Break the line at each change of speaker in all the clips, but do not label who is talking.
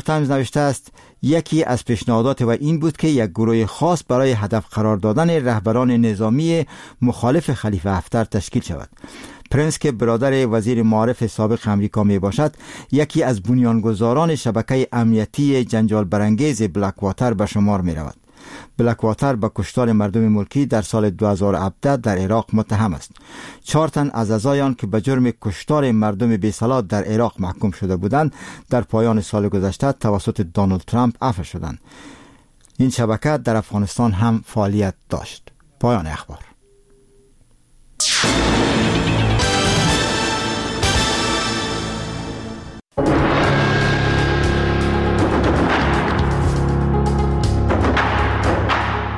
تایمز نوشته است یکی از پیشنهادات و این بود که یک گروه خاص برای هدف قرار دادن رهبران نظامی مخالف خلیفه حفتر تشکیل شود. پرنس که برادر وزیر معارف سابق امریکا می باشد، یکی از بنیانگذاران شبکه امنیتی جنجال برانگیز بلک واتر به شمار می رود. بلک واتر به کشتار مردم ملکی در سال 2017 در عراق متهم است. 4 تن از اعضای آن که به جرم کشتار مردم بی‌سلاح در عراق محکوم شده بودند، در پایان سال گذشته توسط دونالد ترامپ عفو شدند. این شبکه در افغانستان هم فعالیت داشت. پایان اخبار.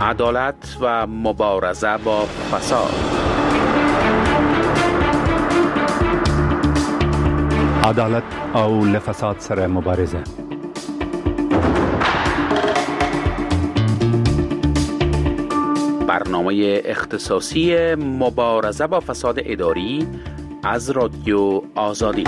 عدالت و مبارزه با فساد.
عدالت او له فساد سره مبارزه.
برنامه اختصاصی مبارزه با فساد اداری از رادیو آزادی.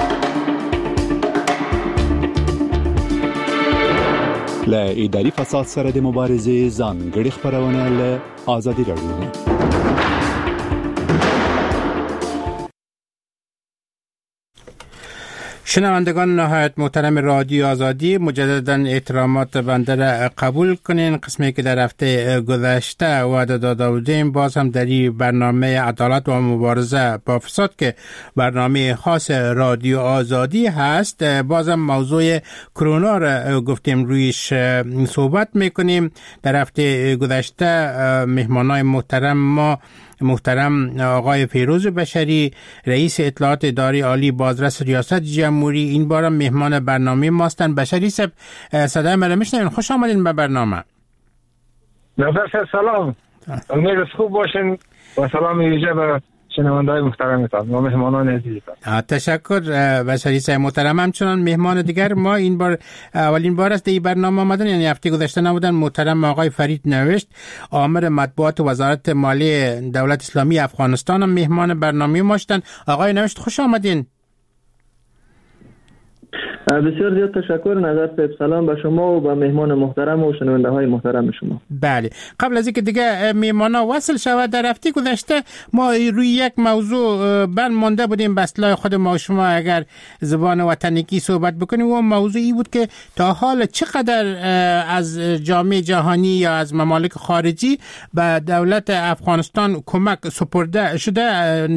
له اداري فساد سره د مبارزې ځانګړې خپرونه له ازادي راډیو.
شنوندگان نهایت محترم رادیو آزادی، مجددا احترامات بنده را قبول کنین. قسمی که در هفته گذشته وعده داده بودیم، باز هم در این برنامه عدالت و مبارزه با فساد که برنامه خاص رادیو آزادی هست، بازم موضوع کرونا را گفتیم رویش صحبت میکنیم. در هفته گذشته مهمانای محترم ما، محترم آقای فیروز بشری، رئیس اطلاعات اداره عالی بازرس ریاست جمهوری، این بارم مهمان برنامه ماستن. بشری صاحب، صدای مرا میشنوین؟ خوش آمدین به برنامه.
نظر سلام، امید خوب باشین و سلام ویژه به شنونده‌های محترمتان و مهمانان عزیزتان.
تشکر بشری صاحب محترم. همچنان مهمان دیگر ما این بار اولین بار است در این برنامه آمدن، یعنی هفته گذشته نبودن، محترم آقای فرید نوشت، آمر مطبوعات وزارت مالی دولت اسلامی افغانستان، هم مهمان برنامه ما شدن. آقای نوشت خوش آمدین.
بسیار زیاد تشکر نظر صاحب، سلام به شما و به مهمان محترم و شنونده های محترم شما.
بله، قبل از اینکه دیگه مهمانا وصل شود، در هفته گذشته ما روی یک موضوع بند مانده بودیم به اصطلاح خود ما شما اگر زبان وطنیکی صحبت بکنیم، و موضوع ای بود که تا حال چقدر از جامعه جهانی یا از ممالک خارجی به دولت افغانستان کمک سپرده شده،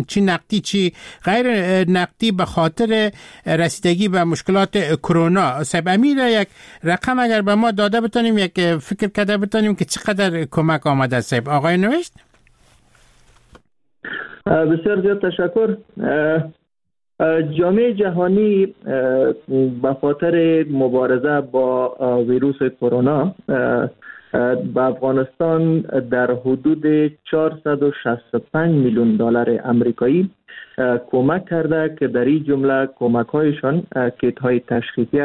چی نقدی چی غیر نقدی، به خاطر رسیدگی به مشکلات کرونا. صاحب امیر، یک رقم اگر به ما داده بتونیم، یک فکر کرده بتونیم که چقدر کمک آمده صاحب. آقای نوشت.
بسیار زیاد تشکر. جامعه جهانی به خاطر مبارزه با ویروس کرونا به افغانستان در حدود 465 میلیون دلار امریکایی کمک کرده که در این جمله کمک هایشان کیت های تشخیصی،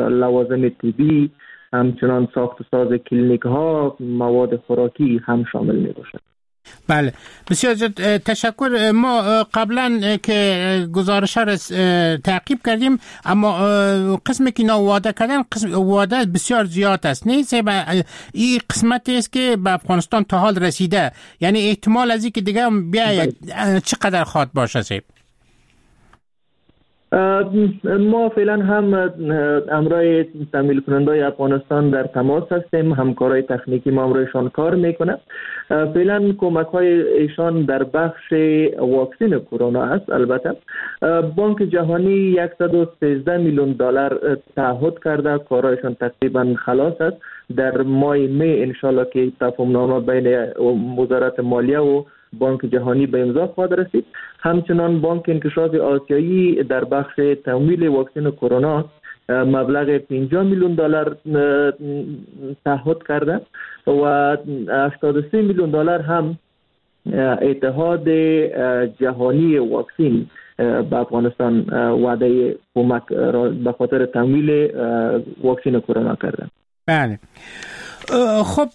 لوازم طبی، همچنان ساخت و ساز کلینیک ها، مواد خوراکی هم شامل می باشد.
بله، بسیار تشکر. ما قبلا که گزارش ها را تعقیب کردیم، اما قسمی که اینا وعده کردن، قسم وعده بسیار زیاد است. نه این قسمت است که به افغانستان تا حال رسیده، یعنی احتمال از اینکه دیگه بیاید چقدر خواد باشه سیب؟
ما فعلا هم امرای تمویل کننده افغانستان در تماس هستیم، همکارای تکنیکی ما امرایشان کار میکنه. فعلا کمک های ایشان در بخش واکسن کرونا است. البته بانک جهانی 113 میلیون دلار تعهد کرده، کارایشان تقریبا خلاص است. در ماه می انشالله که تفاهم نامه بین وزارت مالیه و بانک جهانی به امضا خواهد رسید. همچنان بانک انکشاف آسیایی در بخش تمویل واکسن کرونا مبلغ 50 میلیون دلار تعهد کرده و 83 میلیون دلار هم اتحاد جهانی واکسن به افغانستان وعده کمک را به خاطر تمویل واکسن کرونا کرده.
بله. خب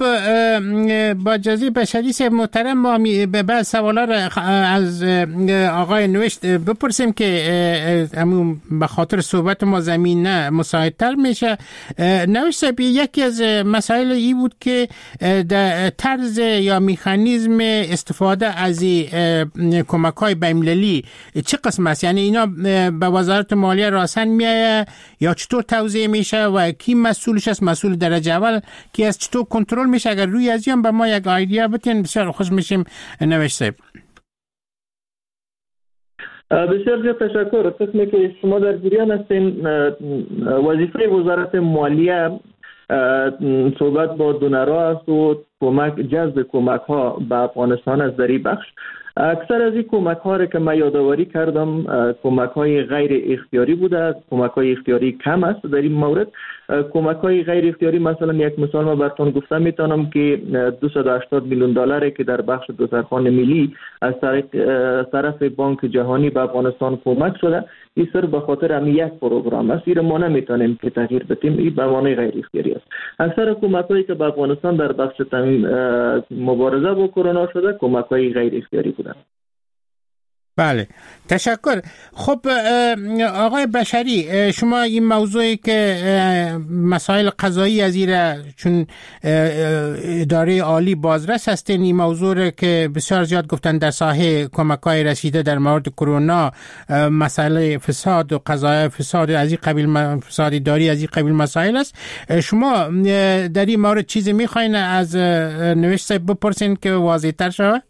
با اجازه بشری صاحب محترم، ما به بعض سوالا را از آقای نوشت بپرسیم که همون به خاطر صحبت ما زمینه مساعدتر میشه. نوشت صاحب، یکی از مسائل ای بود که در طرز یا میخانیزم استفاده از کمک های بین‌المللی چه قسم است؟ یعنی اینا به وزارت مالیه راسن میایه یا چطور توزیع میشه و کی مسئولش است؟ مسئول درجه اول کی است؟ چطور کنترل میشه؟ اگر روی از به ما یک idea بتین، بسیار خوش میشیم نوشت صاحب.
بسیار زیاد تشکر. قسمی که شما در جریان هستین، وظیفه وزارت مالیه صحبت با دونرها است و کمک، جذب کمک ها به افغانستان از در بخش. اکثر از این کمک ها را که من یادآوری کردم، کمک های غیر اختیاری بوده. کمک های اختیاری کم است. در این مورد کمک های غیر اختیاری، مثلا یک مثال ما براتون گفتم میتونم که 280 میلیون دلار که در بخش دسترخوان ملی از طرف بانک جهانی به افغانستان کمک شده، این صرف به خاطر همین یک پروگرام است. این ما نمیتونیم که تغییر بدیم. این به معنی غیر اختیاری است. اکثر کمک هایی که به افغانستان در بخش مبارزه با کرونا شده، کمک های غیر اختیاری بوده.
بله، تشکر. خب آقای بشری، شما این موضوعی که مسائل قضایی از چون اداره عالی بازرس هستین، این موضوع که بسیار زیاد گفتن در ساحه کمک های رسیده در مورد کرونا مسئله فساد و قضای فساد از این قبیل، فساد اداری از این قبیل مسائل است، شما در این مورد چیزی میخواین از نوشت بپرسین که واضح تر شود؟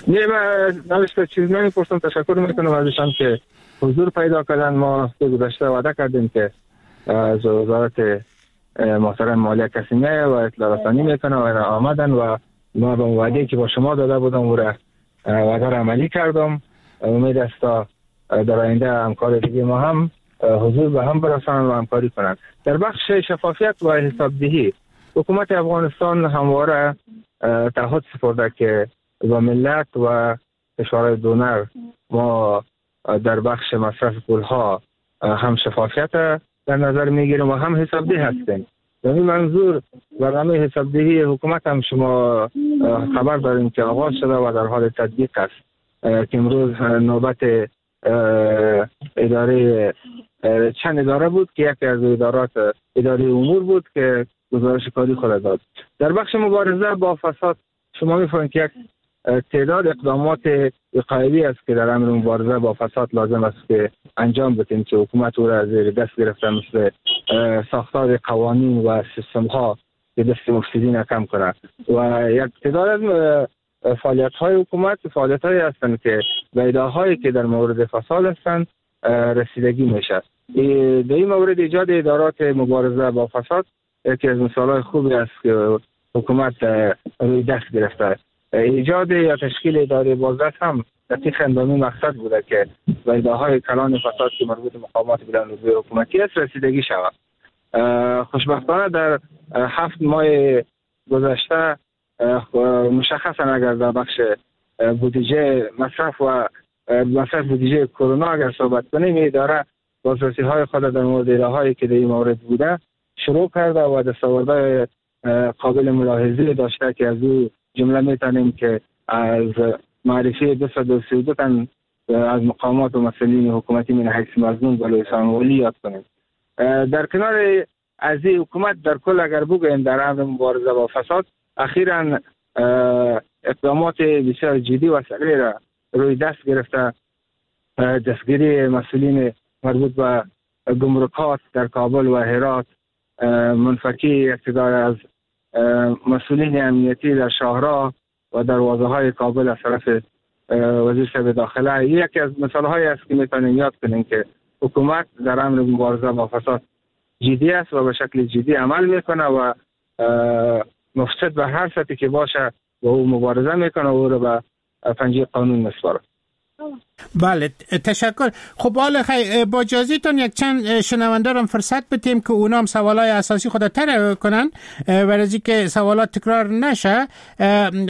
نه، من نوشته چیز نمیپرسم. تشکر میکنم ازشان که حضور پیدا کردن. ما هفته گذشته وعده کردیم که از وزارت محترم مالیه کسی میایه و اطلاع رسانی میکنه و آمدن و ما به وعده که با شما داده بودم او را وعده را عملی کردم. امید است تا در آینده همکار دیگه ما هم حضور به هم برسانند و همکاری کنند. در بخش شفافیت و حسابدهی، حکومت افغانستان همواره تعهد سپرده که با ملت و کشورهای دونر ما در بخش مصرف پولها هم شفافیت در نظر میگیریم و هم حسابده هستیم. در این منظور برنامه حسابدهی حکومت هم شما خبر داریم که آغاز شده و در حال تطبیق است که امروز نوبت اداره چند اداره بود که یکی از ادارات اداره امور بود که گزارش کاری خود داد. در بخش مبارزه با فساد، شما میفهمید که یک تعداد اقدامات وقایوی است که در امر مبارزه با فساد لازم است که انجام بدیم که حکومت او را از زیر دست گرفته، مثل ساختار قوانین و سیستم ها که دست مفسدین کم کنه و یک تعداد از فعالیت های حکومت، فعالیت هایی هستند که به ادعاهایی که در مورد فساد هستند رسیدگی میشه. در این مورد ایجاد ادارات مبارزه با فساد یکی از مثال های خوبی است که حکومت روی دست گرفته. ایجاد یا تشکیل اداره بازرس هم دقیقاً به این مقصد بوده که به ادعاهای کلان فساد که مربوط مقامات بلندرتبه حکومتی است رسیدگی شود. خوشبختانه در 7 ماه گذشته، مشخصا اگر در بخش بودجه مصرف و مصرف بودجه کرونا اگر صحبت کنیم، اداره بازرسی های خود در مورد ادعاهایی که در این مورد بوده شروع کرده و دستاوردهای قابل ملاحظه داشته که از او جمله میتونیم که از معرفی 232 تن از مقامات و مسئولین حکومتی من حیث مظنون به لوی یاد کنیم. در کنار از این، حکومت در کل اگر بگوییم در امر مبارزه با فساد اخیرا اقدامات بسیار جدی و سریع را روی دست گرفته. دستگیری مسئولین مربوط به گمرکات در کابل و هرات، منفکی اقتدار از مسئولین امنیتی در شاهراه و دروازه های کابل از طرف وزیر صاحب داخله یکی از مثال های است که میتونیم یاد کنیم که حکومت در امر مبارزه با فساد جدی است و به شکل جدی عمل میکنه و مفسد به هر سطحی که باشه با او مبارزه میکنه و او رو به پنجه قانون میسپاره.
بله، تشکر. خب حالا با اجازهتون یک چند شنونده هم فرصت بدیم که اونا هم سوالای اساسی خود طرح کنن، برای که سوالات تکرار نشه.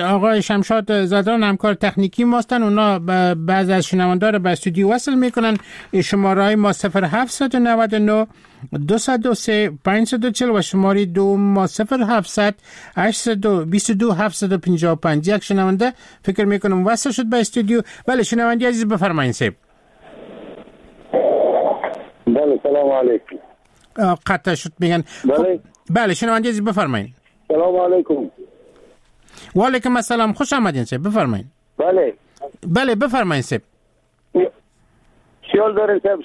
آقای شمشاد زادران همکار تکنیکی ماستن، اونا بعض از شنونده رو به استودیو وصل میکنن. شماره ما 0799 203 540 و شماره دوم ما 0700 822 755. یک شنونده فکر میکنم وصل شد به استودیو. بله شنونده عزیز بفرمایید صاحب.
بله سلام علیکم.
قطع شد میگن.
بله
بله شنونده عزیز بفرمایید.
سلام علیکم.
و علیکم السلام، خوش آمدین صاحب، بفرمایید.
بله
بله بفرمایید صاحب.
چیال دارین صاحب؟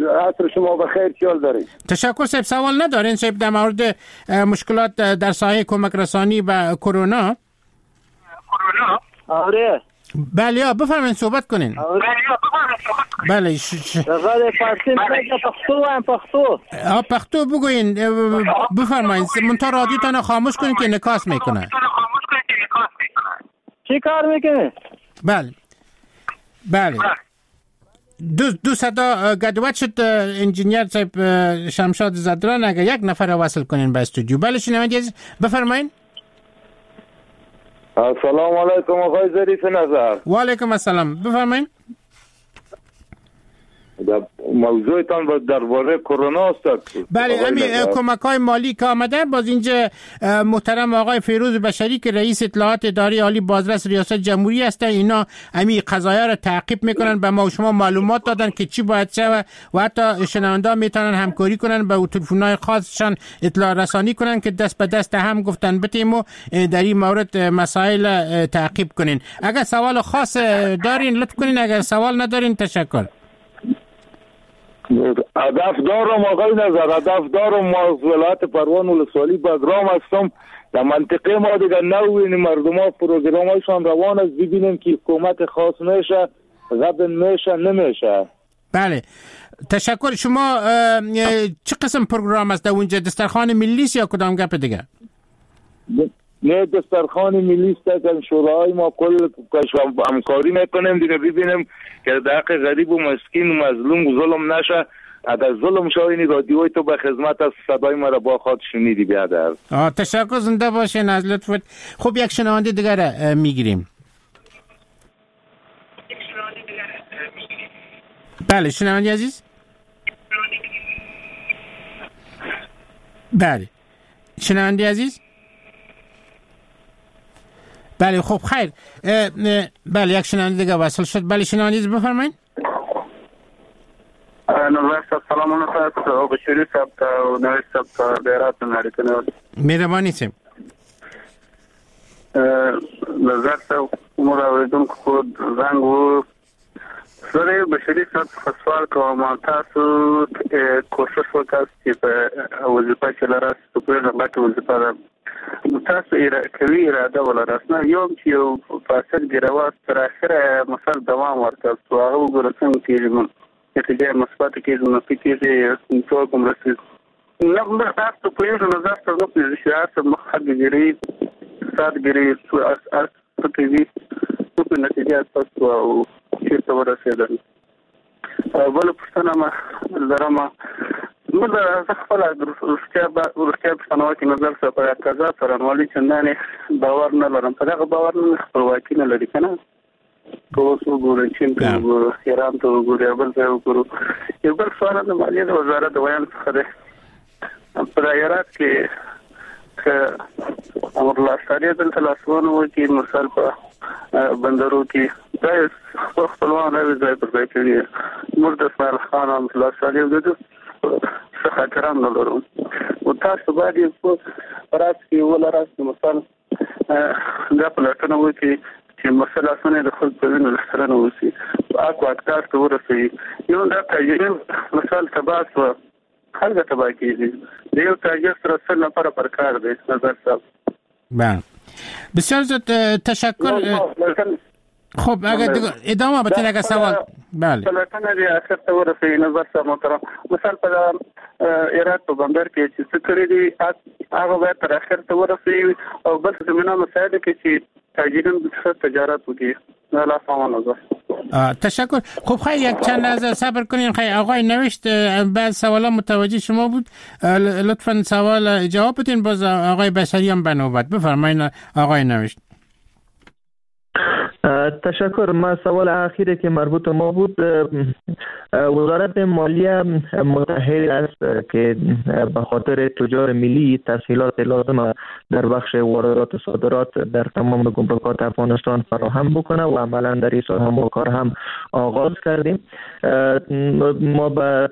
عصر شما بخیر. چیال دارین؟
تشکر صاحب. سوال ندارین صاحب در مورد مشکلات در ساحه کمک رسانی و کرونا؟
آره
بله بفرمایید صحبت کنین. بله
پښتو هم پښتو.
پښتو بگوین بفرمایید. منتها رادیوتان خاموش کنین که انعکاس میکنه.
چی کار میکنه؟
بله بله دو صدا گدوت شد. انجینیر صاحب شمشاد زدران اگر یک نفر وصل کنین به استودیو. بله شنونده عزیز بفرمایین.
السلام علیکم آقای ظریف نظر.
و علیکم السلام، بفرمایین.
موضوعتان درباره کرونا است.
بله همین کمک های مالی که آمده. باز اینجا محترم آقای فیروز بشری که رئیس اطلاعات اداره عالی بازرس ریاست جمهوری هستند، اینا همین قضایا را تعقیب میکنن، به ما و شما معلومات دادن که چی باید شود و حتی شنونده میتونن همکاری کنن، به تلفن‌های خاصشان اطلاع رسانی کنن که دست به دست هم گفتن بتیم و در این مورد مسائل تعقیب کنین. اگر سوال خاص دارین لطف کنین، اگر سوال ندارین تشکر.
هدف دارم آقای نظر، هدف دارم. ما از ولایت پروان ولسوالی بگرام هستم. در منطقه ما دیگه نوین مردم ها پروگرام هایشان روان است، ببینیم که کمک خاص میشه غبن میشه نمیشه.
بله تشکر. شما چه قسم پروگرام است در اونجا؟ دسترخوان ملی است یا کدام گپ دیگه؟
نه دسترخوان ملی است که شورای ما کل همکاری میکنیم دیگه، ببینیم که در حق غریب و مسکین و مظلوم ظلم نشه. اگر ظلم شوی این رادیوی تو به خدمت از صدای ما را با خود شنیدی بیادر.
تشکر، زنده باشین از لطفت. خب یک شنونده دیگر میگیریم. بله شنونده عزیز. بله شنونده عزیز. بله خب خیر. بله یک شنونده دیگه وصل شد. بله شنونده عزیز بفرمایید.
نظر صاحب سلام علیکم. او بشری صاحب او نوید صاحب بیرات نړیکنه
مهرباني صاحب.
نظر صاحب موږ اوریدونکو خو زنګ وو. سره بشری صاحب څخه سوال کوم، تاسو کوشش وکړئ چې په وظیفه کې لراست په غټه وظیفه ده، تاسو کوي اراده ولرئ نه یو چې یو فاصل ګروات تر اخره مثال دوام ورکړ، هغه وګوره څنګه کېږي، نتیجه مثبت کېږي منفي کېږي، څوک هم رسېږي نه موږ تاسو پوهېږو. نظر ته نه پوهېږو چې هر څه مخ ګیري سات ګیري هر څه کوي، څوک نتیجه تاسو او چېرته ورسېدل. بله پوښتنه ما لرم، موږ زه خپله روغتیا په صنعت کې نظر سره په قضا څارنوالي چندانې باور نه لرم، په دغه باور نه خپلواکي نه لري که نه. که اوس وګورو چین ته وګورو، ایران ته وګورو، یا بل ځای وګورو. یو بل سوال د مالیې د وزارت د ویاند څخه دی، په هرات کې که امرالله صالح دلته لاسوهنه وکړي، مثال په بندرو کې دا خپل خپلوان راوي ځای پر ځای کوي، موږ د اسماعیل خان امرالله صالح د ده څه خاطران نه لرو. او تاسو باید په راس کې ولراست مثال دا پلټنه وکړي چې مسله اسانه د خلکو په وینو لښکرنه وسي، اک واکدار ته ورسوي. یو دا تاجرین مثال تباه سوه، خلک تباه کېږي، د یو تاجر سره سل نفره پر کار دی. نظر صاحب
بله بسیار زیاد تشکر. خب اگر ادامه بدین اگر سوال. بله
پلټنه دې اخر ته ورسوي. نظر صاحب محترم، مثال په هرات په بندر کې چې څه کړي دي هغه باید تر اخر ته ورسوي، او بل زمینه مساعده کړي چې تاجرین ښه تجارت وکړي.
تشکر. خب خیلی یک چند لحظه صبر کنین. خیلی آقای نوشت بعد سوالا متوجه شما بود، لطفاً سوال جواب بدین، باز آقای بشری هم به نوبت. بفرمایید آقای نوشت.
تشکر. ما سوال اخیری که مربوط ما بود، وزارت مالیه متحد است که به خاطر تجار ملی تسهیلات لازم در بخش واردات و صادرات در تمام گمرکات افغانستان فراهم بکنه و عملا در این سال هم کار هم آغاز کردیم. ما به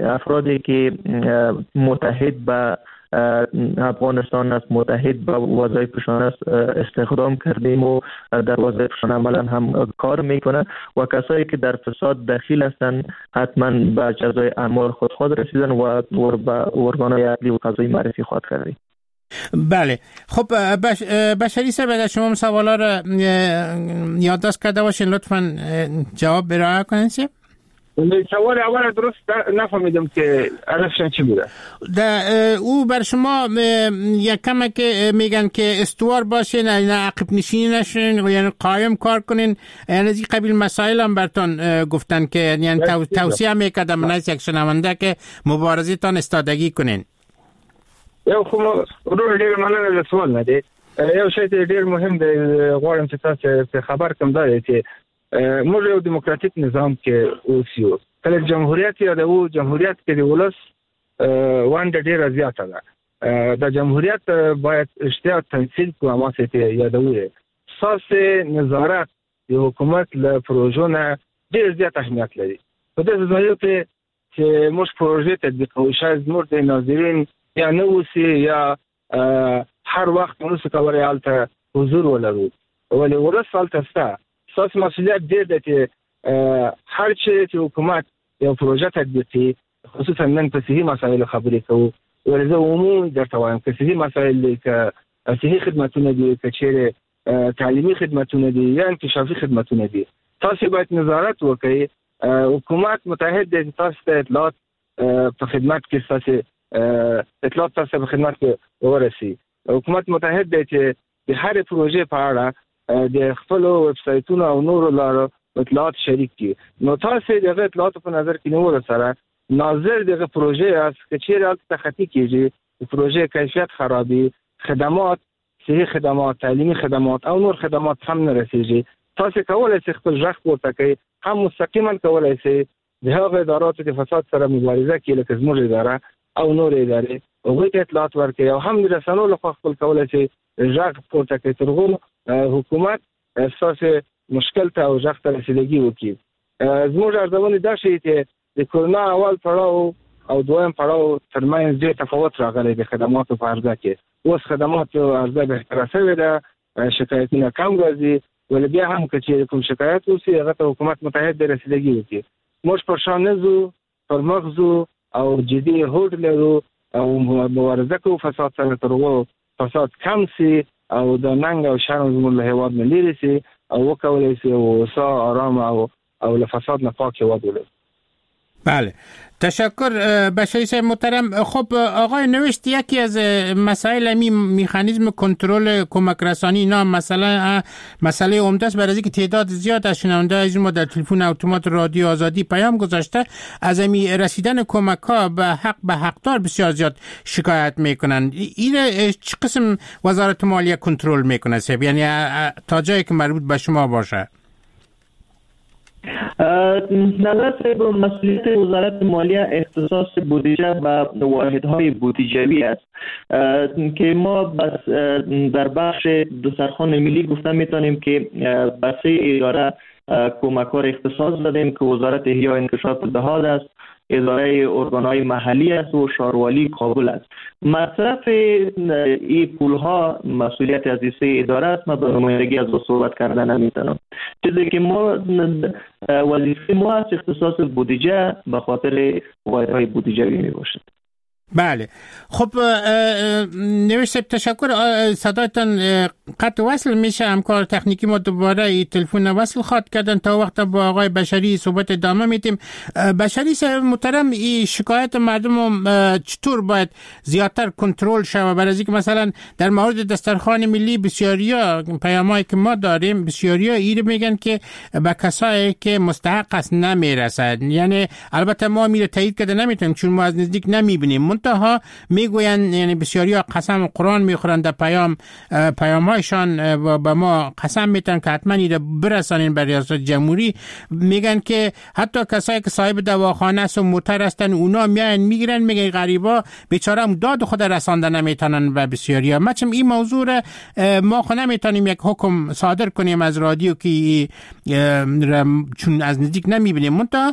افرادی که متحد به افغانستان است، متحد به وظایفشان است، استخدام کردیم و در وظایفشان عملا هم کار میکنه و کسایی که در فساد دخیل هستند حتما به جزای اعمال خود رسیدن و به ارگان‌های عدلی و قضایی معرفی خواهد کردیم.
بله، خب بشری صاحب، اگر شما سوالا را یادداشت کرده باشین لطفاً جواب ارائه کنین.
سوال اول درست نفهمیدم که هدفشان چی بوده.
او بر شما یک کمه که میگن که استوار باشین، نه عقب نشینی نشین، یعنی قایم کار کنین، یعنی از این قبیل مسائل هم برتان گفتن که یعنی توصیه میکردم من از یک شنونده که مبارزه تان استادگی کنین.
یو خو ورور ډیر مننه له سوال نه دی. یو شی ډیر مهم دی غواړم چې تاسو خبر کړم، دا دی چې موږ یو دیموکراتیک نظام کې اوس یو. کله جمهوریت یادو، جمهوریت کې د ولس ونډه ډیره زیاته ده. د جمهوریت باید اشتیا تمثیل کو هماسې ته یادوي. ستاسې نظارت د حکومت له پروژو نه ډېر زیات اهمیت لري. په داسې ځایو کې چې موږ پروژې تطبیقوو، شاید زموږ د ناظرین یا نه اوسي یا هر وخت نشو کولی هلته حضور ولرو، ولې ولس هلته شته. ستاسو مسئولیت ډېر دی چې هر چیرې چې حکومت یو پروژه تطبیقي، خصوصا نن په صحي مسایلو خبرې کوو، ولې زه عمومي درته وایم که صحي مسایل دي، که صحي خدمتونه دي، که چیرې تعلیمي خدمتونه دي یا انکشافي خدمتونه دي، تاسو باید نظارت وکړئ. حکومت متحد دی چې تاسو ته اطلاعات په خدمت کې ستاسې اطلاعات تاسو په خدمت کې ورسي. حکومت متحد دی چې د هرې پروژې په اړه د خپلو ویب سایتونو او نورو لارو اطلاعات شریک کړي. نو تاسو د هغه اطلاعاتو په نظر کې نیولو سره ناظر دغه پروژې یاست. که چیرې هلته تخطي کېږي، د پروژې کیفیت خرابي، خدمات، صحي خدمات، تعلیمي خدمات او نور خدمات هم نه رسیږي، تاسو کولی شئ خپل غږ پورته کړئ، هم مستقیما کولی شئ د هغو اداراتو د فساد سره مبارزه کې لکه زموږ اداره او نورې ادارې هغوی ته اطلاعات ورکړئ، او هم د رسنیو لخوا خپل کولی شئ غږ پورته کړئ تر هغو حکومت ستاسې مشکل ته او غږ ته رسیدګي وکړي. زموږ ارزونې دا ښيي چې د کرونا اول پړاو او دویم پړاو ترمنځ ډېر تفاوت راغلی د خدماتو په عرضه کې. اوس خدماتو عرضه بهتره شوې ده، شکایتونه کم راځي، ولې بیا هم که چیرې کوم شکایت وشي هغه ته حکومت متحد دی رسیدګي وکړي. موږ پر شا نه ځو، پر مخ ځو او جدي هوډ لرو او مبارزه کوو فساد سره تر هغو فساد کم سي او د ننګ او شرم زموږ له هېواد نه لیرې سي او وکولی سي هوسا، آرام او له فساد نه پاک هېواد ولرو.
بله، تشکر بشری صاحب محترم. خب آقای نوشت، یکی از مسائل همی میخانیزم کنترل کمک رسانی اینا مسئله عمده است، برای اینکه تعداد زیاد از شنونده از ما در تلفن اتومات رادیو آزادی پیام گذاشته از همی رسیدن کمک ها به حق به حقدار بسیار زیاد شکایت میکنن. این چه قسم وزارت مالیه کنترل میکنه صاحب؟ یعنی تا جایی که مربوط به شما باشه.
نظر صاحب، مسئولیت وزارت مالیه اختصاص بودجه به واحدهای بودجوی است که ما بس در بخش دسترخوان ملی گفته میتونیم که به سه اداره کمکار اختصاص دادیم که وزارت احیا انکشاف دهات است، اداره ارگان‌های محلی است و شاروالی کابل است. مصرف این پولها مسئولیت از این سه اداره است. ما به نمایندگی از او صحبت کردن نمیتونم. چیزی که ما وظیفه ما است اختصاص بودجه به خاطر واحدهای بودجوی می باشد.
بله، خب نوشت تشکر. صدایتان قطع وصل میشه، همکار تکنیکی ما دوباره ای تلفن وصل خواد کردن. تا وقت با آقای بشری صحبت ادامه میدیم. بشری صاحب محترم، این شکایت مردم چطور باید زیادتر کنترل شود؟ برای اینکه مثلا در مورد دسترخوان ملی بسیاریا پیامایی که ما داریم، بسیاریا این میگن که به کسایی که مستحق است نمیرسد. یعنی البته ما میره تایید کرده نمیتونیم چون ما از نزدیک نمیبینیم. منتها میگوین، یعنی بسیاری ها قسم قرآن میخورند در پیامهایشان به ما قسم میتن که حتما ایره برسانین بر ریاست جمهوری. میگن که حتی کسایی که صاحب دواخانه است و موتر هستن اونا میاین میگیرن، میگن غریبا بیچاره هم داد خود رسانده نمیتونن و بسیاری ها. ما چم این موضوع را ما خو نمیتونیم یک حکم صادر کنیم از رادیو که چون از نزدیک نمیبینیم، منتها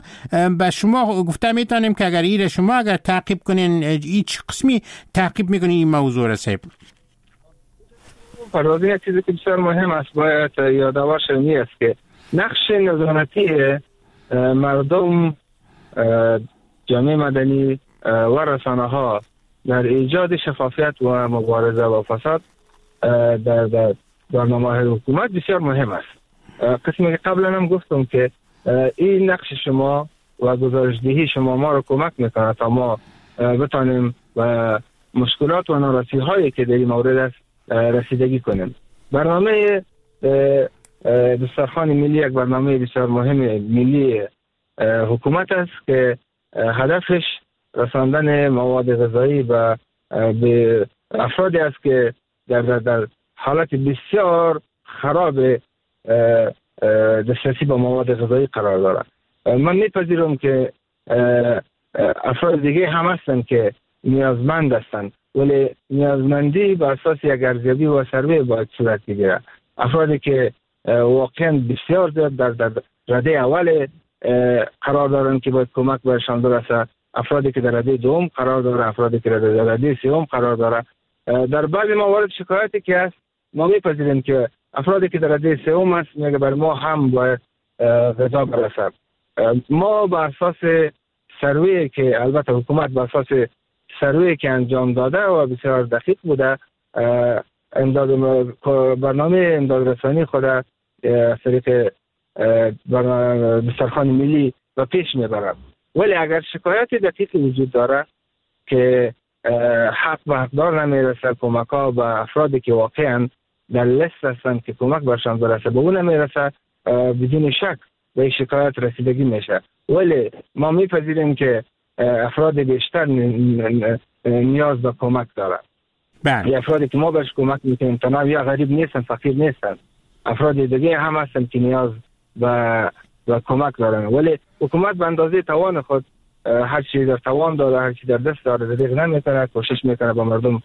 به شما گفته میتونیم که اگر ایره شما اگر تعقیب کنین، هیچ قسمی تعقیب میکنین این موضوع را صاحب؟
پروازی یک چیزی که بسیار مهم است باید یادآور شویم است که نقش نظارتی مردم، جامعه مدنی و رسانه ها در ایجاد شفافیت و مبارزه با فساد در برنامه حکومت بسیار مهم است. قسمی که قبلا هم گفتم که این نقش شما و گزارشدهی شما ما رو کمک میکنه تا ما بتانیم و مشکلات و ناراضی هایی که در این مورد است رسیدگی کنیم. برنامه دسترخوان ملی یک برنامه بسیار مهم ملی حکومت است که هدفش رساندن مواد غذایی به افرادی است که در حالت بسیار خراب دسترسی با مواد غذایی قرار دارند. من میپذیرم که افراد دیگه هم هستند که نیازمند هستند، ولی نیازمندی بر اساس یک ارزیابی و سروی باید صورت بگیره. افرادی که واقعا بسیار زیاد در رده اول قرار دارند که باید کمک برشان برسه، افرادی که در رده دوم قرار داره، افرادی که در رده سوم قرار داره. در بعضی موارد شکایتی که هست ما میپذیریم که افرادی که در رده سوم است میگه بر ما هم باید غذا برسه. ما بر اساس سروی که البته حکومت بر اساس سروی که انجام داده و بسیار دقیق بوده، امداد برنامه امداد رسانی خود از طریق دسترخوان ملی و پیش میبرد. ولی اگر شکایت دقیق وجود داره که حق به حقدار نمیرسه، کمک ها به افرادی که واقعا در لست هستند که کمک برشان برسه به اون نمیرسه، بدون شک به شکایت رسیدگی میشه. ولی ما میپذیریم که افراد بیشتر نیاز به کمک دارند. بله. افرادی که ما برش کمک میکنیم تنها یا غریب نیستن، فقیر نیستن، افراد دیگه هم هستن که نیاز به کمک دارن. ولی حکومت به اندازه توان خود هر چی در توان داره، هر چی در دست داره دریغ نمیکنه، کوشش میکنه با مردم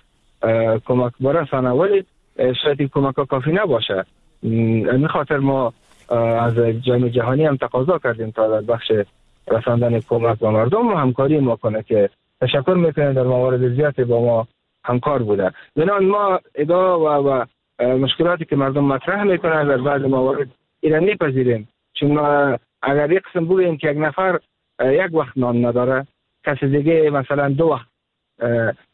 کمک برسانه، ولی شاید این کمک ها کافی نباشه. این خاطر ما از جامعه جهانی هم تقاضا کردیم تا در بخش رساندن کمک با مردم و همکاری ما کنه که تشکر میکنه در موارد زیادی با ما همکار بوده. بنابراین ما ادعا و مشکلاتی که مردم مطرح میکنن در بعض موارد اینا میپذیریم، چون اگر یک قسم بگوییم که یک نفر یک وقت نان نداره، کسی دیگه مثلا دو وقت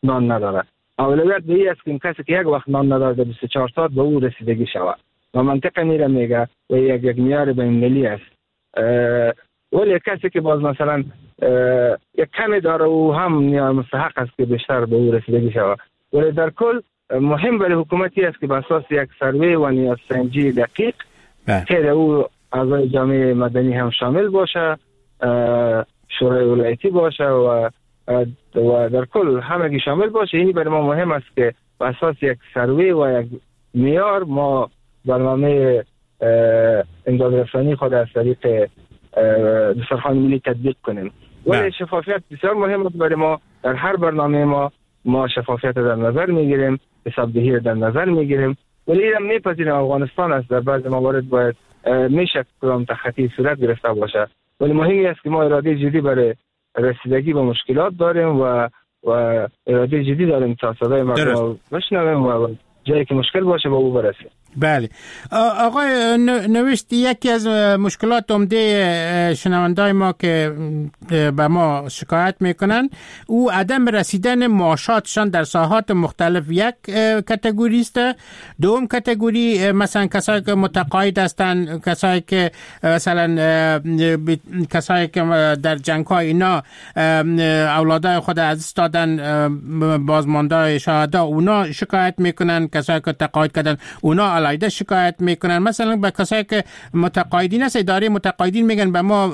نان نداره، اولویت به این است که کسی که یک وقت نان نداره در 24 ساعت به او رسیدگی شود و منطقه میره میگه و یک معیار بین‌المللی است. ولی کسی که باز مثلا یک کمی داره او هم مستحق است که بیشتر به او رسیدگی شود. ولی در کل مهم برای حکومتی است که به اساس یک سروی و نیاز سنجی دقیق که او اعضای جامعه مدنی هم شامل باشه، شورای ولایتی باشه و در کل همگی شامل باشه. این برای ما مهم است که به اساس یک سروی و یک معیار ما برنامه امداد رسانی خود از طریق دسترخوان ملی تطبیق کنیم. ولی شفافیت بسیار مهم است برای ما. در هر برنامه ما شفافیت در نظر میگیریم، حسابدهی در نظر میگیریم، ولی اینم میپذیریم افغانستان است، در بعض موارد باید میشه کدام تخطی صورت گرفته باشه، ولی مهم است که ما اراده جدی برای رسیدگی به مشکلات داریم و اراده جدی داریم تا صدای مردم بشنویم و جایی که مشکل باشه با او برسیم.
بله آقای نوشت، یکی از مشکلات عمده شنوندای ما که به ما شکایت میکنن او عدم رسیدن معاشاتشان در ساحات مختلف یک کاتگوری است. دوم کاتگوری مثلا کسایی که متقاعد هستند، کسایی که مثلا کسایی که در جنگ های اینا اولادای خود از دست دادن، بازمانده شهدا، اونا شکایت میکنن. کسایی که تقاعد کردن اونا علایده شکایت میکنن. مثلا به کسایی که متقاعدین است، اداره متقاعدین میگن به ما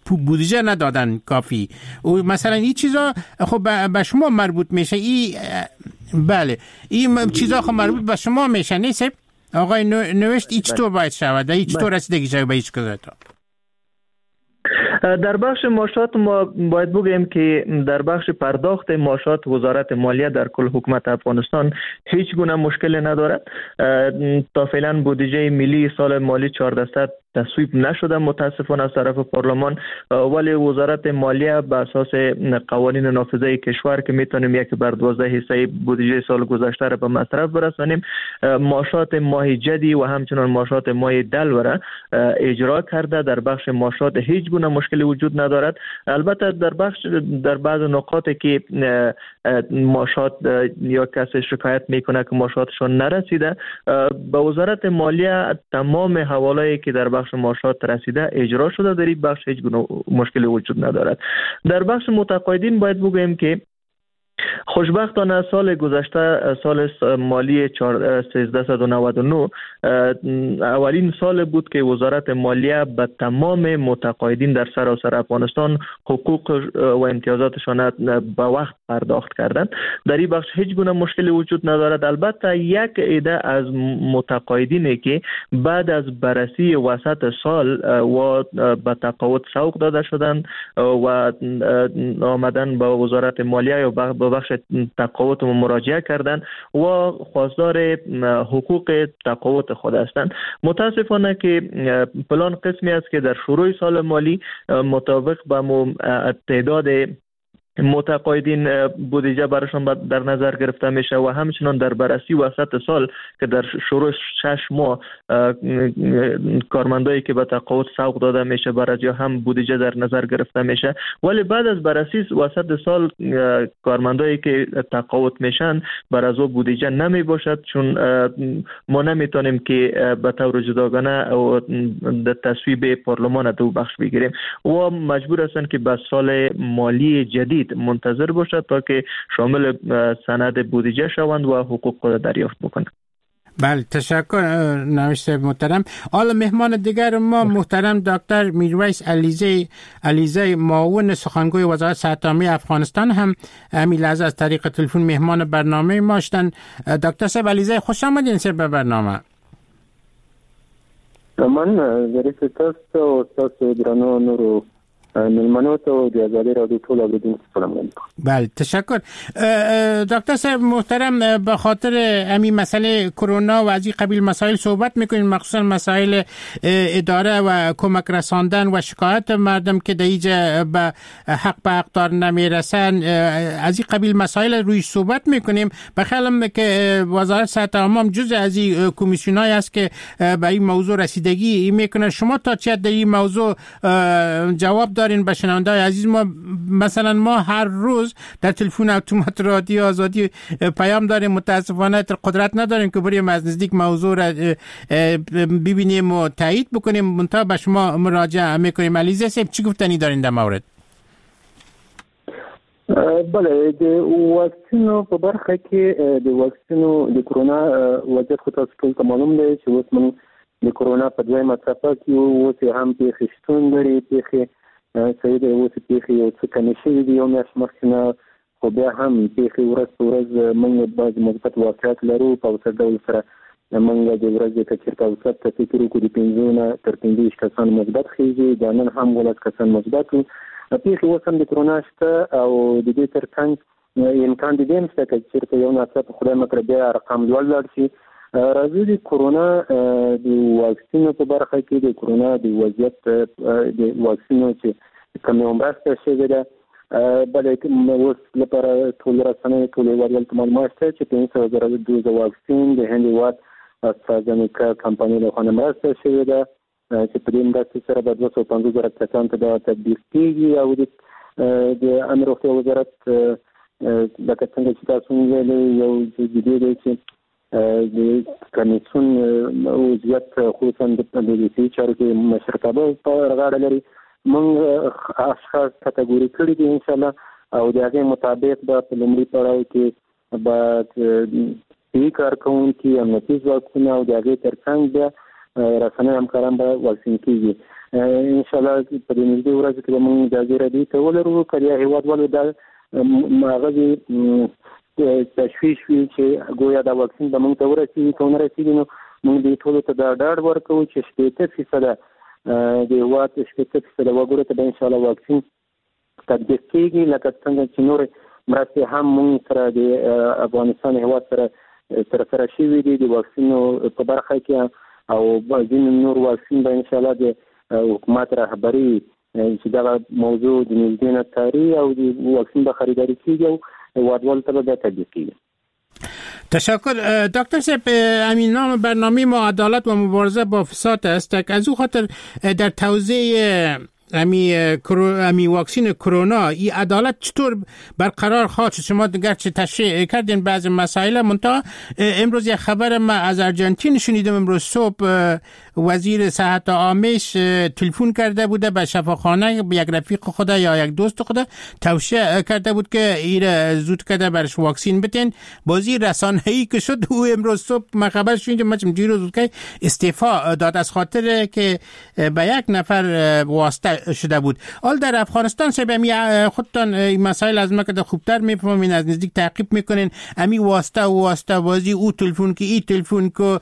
بودجه ندادن کافی. و مثلا این چیزا خب به شما مربوط میشه. این بله این چیزا خب مربوط به شما میشه نیست آقای نوشت؟ این چطور باید شود؟ این چطور رسیدگی شود به هیچ کدام؟
در بخش معاشات ما باید بگوییم که در بخش پرداخت معاشات وزارت مالیه در کل حکومت افغانستان هیچ گونه مشکل ندارد. تا فعلا بودجه ملی سال مالی 1400 تصویب نشده متاسفانه از طرف پارلمان، ولی وزارت مالیه به اساس قوانین نافذه کشور که میتونیم 1/12 حصه بودجه سال گذشته را به مصرف برسانیم، معاشات ماه جدی و همچنان معاشات ماه دلو را اجرا کرده. در بخش معاشات هیچ گونه مشکلی وجود ندارد. البته در بعض نقاط که معاشات یا کسی شکایت میکنه که معاشاتشون نرسیده، به وزارت مالیه تمام حواله‌ای که در بخش معاشات رسیده اجرا شده. در این بخش هیچ گونه مشکلی وجود ندارد. در بخش متقاعدین باید بگوییم که خوشبختانه سال گذشته، سال مالی 1399، اولین سال بود که وزارت مالیه به تمام متقاعدین در سراسر افغانستان حقوق و امتیازاتشان به وقت پرداخت کردند. در این بخش هیچ گونه مشکلی وجود ندارد. البته یک عده از متقاعدین که بعد از بررسی وسط سال و به تقاعد سوق داده شدند و آمدن به وزارت مالیه یا به بخش تقاعد مراجعه کردند و خواستار حقوق تقاعد خود هستند. متاسفانه که پلان قسمی است که در شروع سال مالی مطابق با تعداد متقاعدین بودجه براشون در نظر گرفته میشه و همچنان در بررسی وسط سال که در شروع 6 ماه کارمندایی که به تقاعد سوق داده میشه برای هم بودجه در نظر گرفته میشه، ولی بعد از بررسی وسط سال کارمندایی که تقاعد میشن بر از او بودجه نمی باشد، چون ما نمیتونیم که به طور جداگانه در تصویب پارلمان دو بخش بگیریم و مجبور هستند که به سال مالی جدید منتظر باشد تا که شامل سند بودجه شوند و حقوق خود دریافت بکنند.
بله، تشکر نوشت محترم. حالا مهمان دیگر ما محترم دکتر میرویس علیزه معاون سخنگوی وزارت صحت عامه افغانستان هم همین لحظه از طریق تلفن مهمان برنامه ما شدن. دکتر صاحب علیزه، خوش آمدین سر به برنامه.
من ظریف تاسو او تاسو درنو نورو میلمنو ته د ازادي رادیو ټول اوریدونکو سلام علیکم.
بله، تشکر. دکتر صاحب محترم، به خاطر همین مسئله کرونا و از این قبیل مسائل صحبت میکنیم، مخصوصا مسائل اداره و کمک رساندن و شکایت مردم که در اینجا به حق به حقدار نمیرسن، از این قبیل مسائل روی صحبت میکنیم. به خیالم که وزارت صحت عامه جزء از این کمیسیون‌های است که به این موضوع رسیدگی میکنه. شما تا چه در این موضوع جواب دارین به شنونده‌های عزیز ما؟ مثلا ما هر روز در تلفن اتومات رادیو آزادی پیام داریم، متاسفانه قدرت نداریم که بریم از نزدیک موضوع را ببینیم و تایید بکنیم، منتها به شما مراجعه میکنیم. علیزه صاحب چی گفتنی دارین در مورد؟
بله، د واکسینو په برخه کې د واکسینو د کرونا وضعیت خو تاسو ټول ته معلوم دی چې اوس موږ د کرونا په دویمه څپه کې یو، اوس یې هم پېښې شتون لري، پېښې صحیح دی، اوس پېښې یو څه کمې شوې دي یو میاشت مخکې نه، خو بیا هم پېښې ورځ په ورځ موږ بعضې مثبت واقعیت لرو. په اوسط ډول سره موږ د ورځې که چېرته اوسط ته فکر وکړو د 5 نه تر 25 کسان مثبت خېږي، دا نن هم 19 کسان مثبت وو. پېښې اوس هم د کرونا شته او د دې ترڅنګ امکان د دې هم شته که چېرته یو ناڅاپه خدای مه کړه بیا ارقام لوړ لاړ شي. راځو د کرونا د واکسینو په برخه کې د کرونا د وضعیت د واکسینو چې کومه مرسته شوې ده، بله اوس لپاره ټول رسنۍ ټول هېوادوالو ته معلومات شته چې 500,000 دوزه واکسین د هند هېواد استرازنیکا کمپنۍ لخوا نه مرسته شوې ده چې په دې مرستې سره به 250,000 کسان ته دا تطبیق کېږي. او د عامې روغتیا وزارت لکه څنګه چې تاسو وویلې یو جدي دی چې د کمیسیون وضعیت خصوصا د صحي چارو کې مشرتابه په غاړه لري. موږ اشخاص کتګوري کړي دي انشاءالله، او د هغې مطابق به په لومړي پړاو کې به صحي کارکوونکي، امنیتي ځواکونه او د هغې ترڅنګ بیا رسنۍ همکاران به واکسین کېږي. ان شاء الله په دې نږدې ورځو کې به موږ دا زیری دوی ته ولرو. که د هیوادوالو دا هغه تشویش وي چې ګویا دا واکسین به موږ ته ورسېږي، که ونه رسېږي نو موږ دې ټولو ته دا ډاډ ورکوو چې 60% د هېواد 60% وګړو ته به ان شاء الله واکسین تطبیق کېږي، لکه څنګه چې نورې مرستې هم موږ سره د افغانستان هېواد سره ترسره شوي دي د واکسینو په برخه کې، او ځینې نور واکسین به ان شاء الله د حکومت رهبري چې دغه موضوع د نږدې نه څاري او د واکسین به خریداري کېږي او هېوادوالو ته به بیا تطبیق کېږي.
تشکر دکتر صاحب. همین نام برنامه ما عدالت و مبارزه با فساد است. از او خاطر در توزیع امی واکسین کرونا این عدالت چطور برقرار خواهد شد؟ شما گرچه تشریح کردین بعض مسائل، منتها امروز یک خبر ما از ارجنتین شنیدم. امروز صبح وزیر صحت عامش تلفن کرده بوده به شفاخانه، یک رفیق خود یا یک دوست خود توصیه کرده بود که ایره زود کرده برش واکسین بتین. بازی رسانه‌ای که شد او امروز صبح ما خبر شنیدم، ما دیروز که استعفا داد از خاطر که به یک نفر واسطه شده بود. حال در افغانستان صاحب امی خودتان این مسائل از ما که خوبتر میفهمین، از نزدیک تعقیب میکنین، امی واسطه و واسطه بازی، او تلفن که ای تلفن که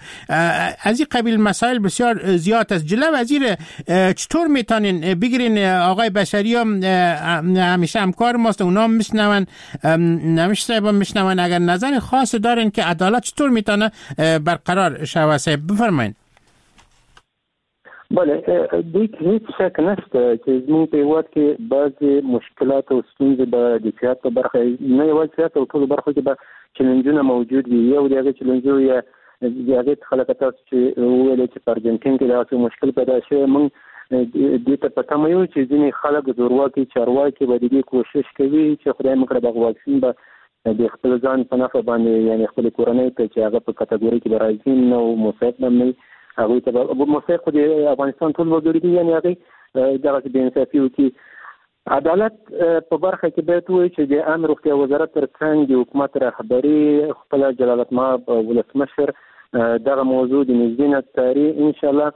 از این قبیل مسائل بسیار زیاد است. جلو وزیر چطور میتونین بگیرین؟ آقای بشری هم همیشه همکار ماست، اونا هم میشنون، نمیشه صاحب هم میشنون. اگر نظر خاص دارین که عدالت چطور میتونه برقرار شوه صاحب بفرمایین.
بله، دې کې هیڅ شک نشته چې زموږ په هېواد کې بعضې مشکلات او ستونزې به د صحت په برخه، نه یوازې صحت او ټولو برخو کې به چلنجونه موجود وي. یو د هغې چلنجونو یا د هغې څخه لکه تاسو چې وویلې چې په ارجنټین کې داسې مشکل پیدا شوی، موږ دې ته په تمه یو چې ځینې خلک زورواکي چارواکي به د دې کوشش کوي چې خدای مه کړه دغه واکسین به د خپل ځان په نفع باندې، یعنې خپلې کورنۍ ته چې هغه په کتګورۍ کې به راځي نه او مستحق به نه وي، هغوی ته به مستحق خو د افغانستان ټول وګړي دي، یعنې هغوی دغسې بې انصافي وکړي. عدالت په برخه کې باید ووایو چې د عامې روغتیا وزارت تر څنګ د حکومت رهبري خپله جلالتمآب ولسمشر دغه موضوع د نږدې نه څاري. انشاءالله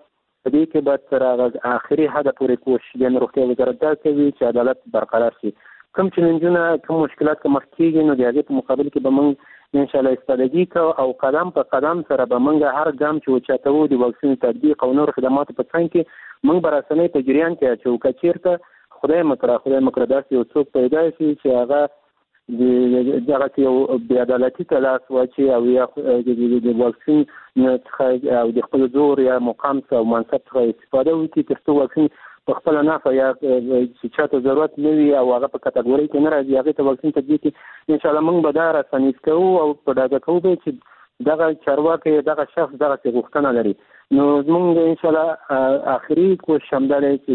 په دې کې به تر هغه آخري حده پورې کوشش د عامې روغتیا وزارت دا کوي چې عدالت برقرار شي. کوم چلنجونه کوم مشکلات که مخ کېږي نو د هغې په مقابل کې به موږ انشاءالله ایستادګي کوو او قدم په قدم سره به موږ هر ګام چې اوچتوو د واکسین تطبیق او نور خدماتو په څنګ کې موږ به رسنۍ په جریان کې اچوو. که چېرته خدای مه کړه داسې یو څوک پیدا شي چې هغه دغسې یو بېعدالتي ته لاس واچوي او یا د واکسین څخه او د خپل زور یا مقام څخه او منصب څخه استفاده وکړي تر څو واکسین په خپله نفع یا چې چاته ضرورت نه وي او هغه په کتګورۍ کې نه راځي هغې ته واکسین تطبیق کړي. انشاءالله موږ به دا رسنیز کوو او په ډاګه کوو به چې دغه چارواکی دغه شخص دغسې غوښتنه لري. نو زموږ انشاءالله آخري کوشش همدا دی چې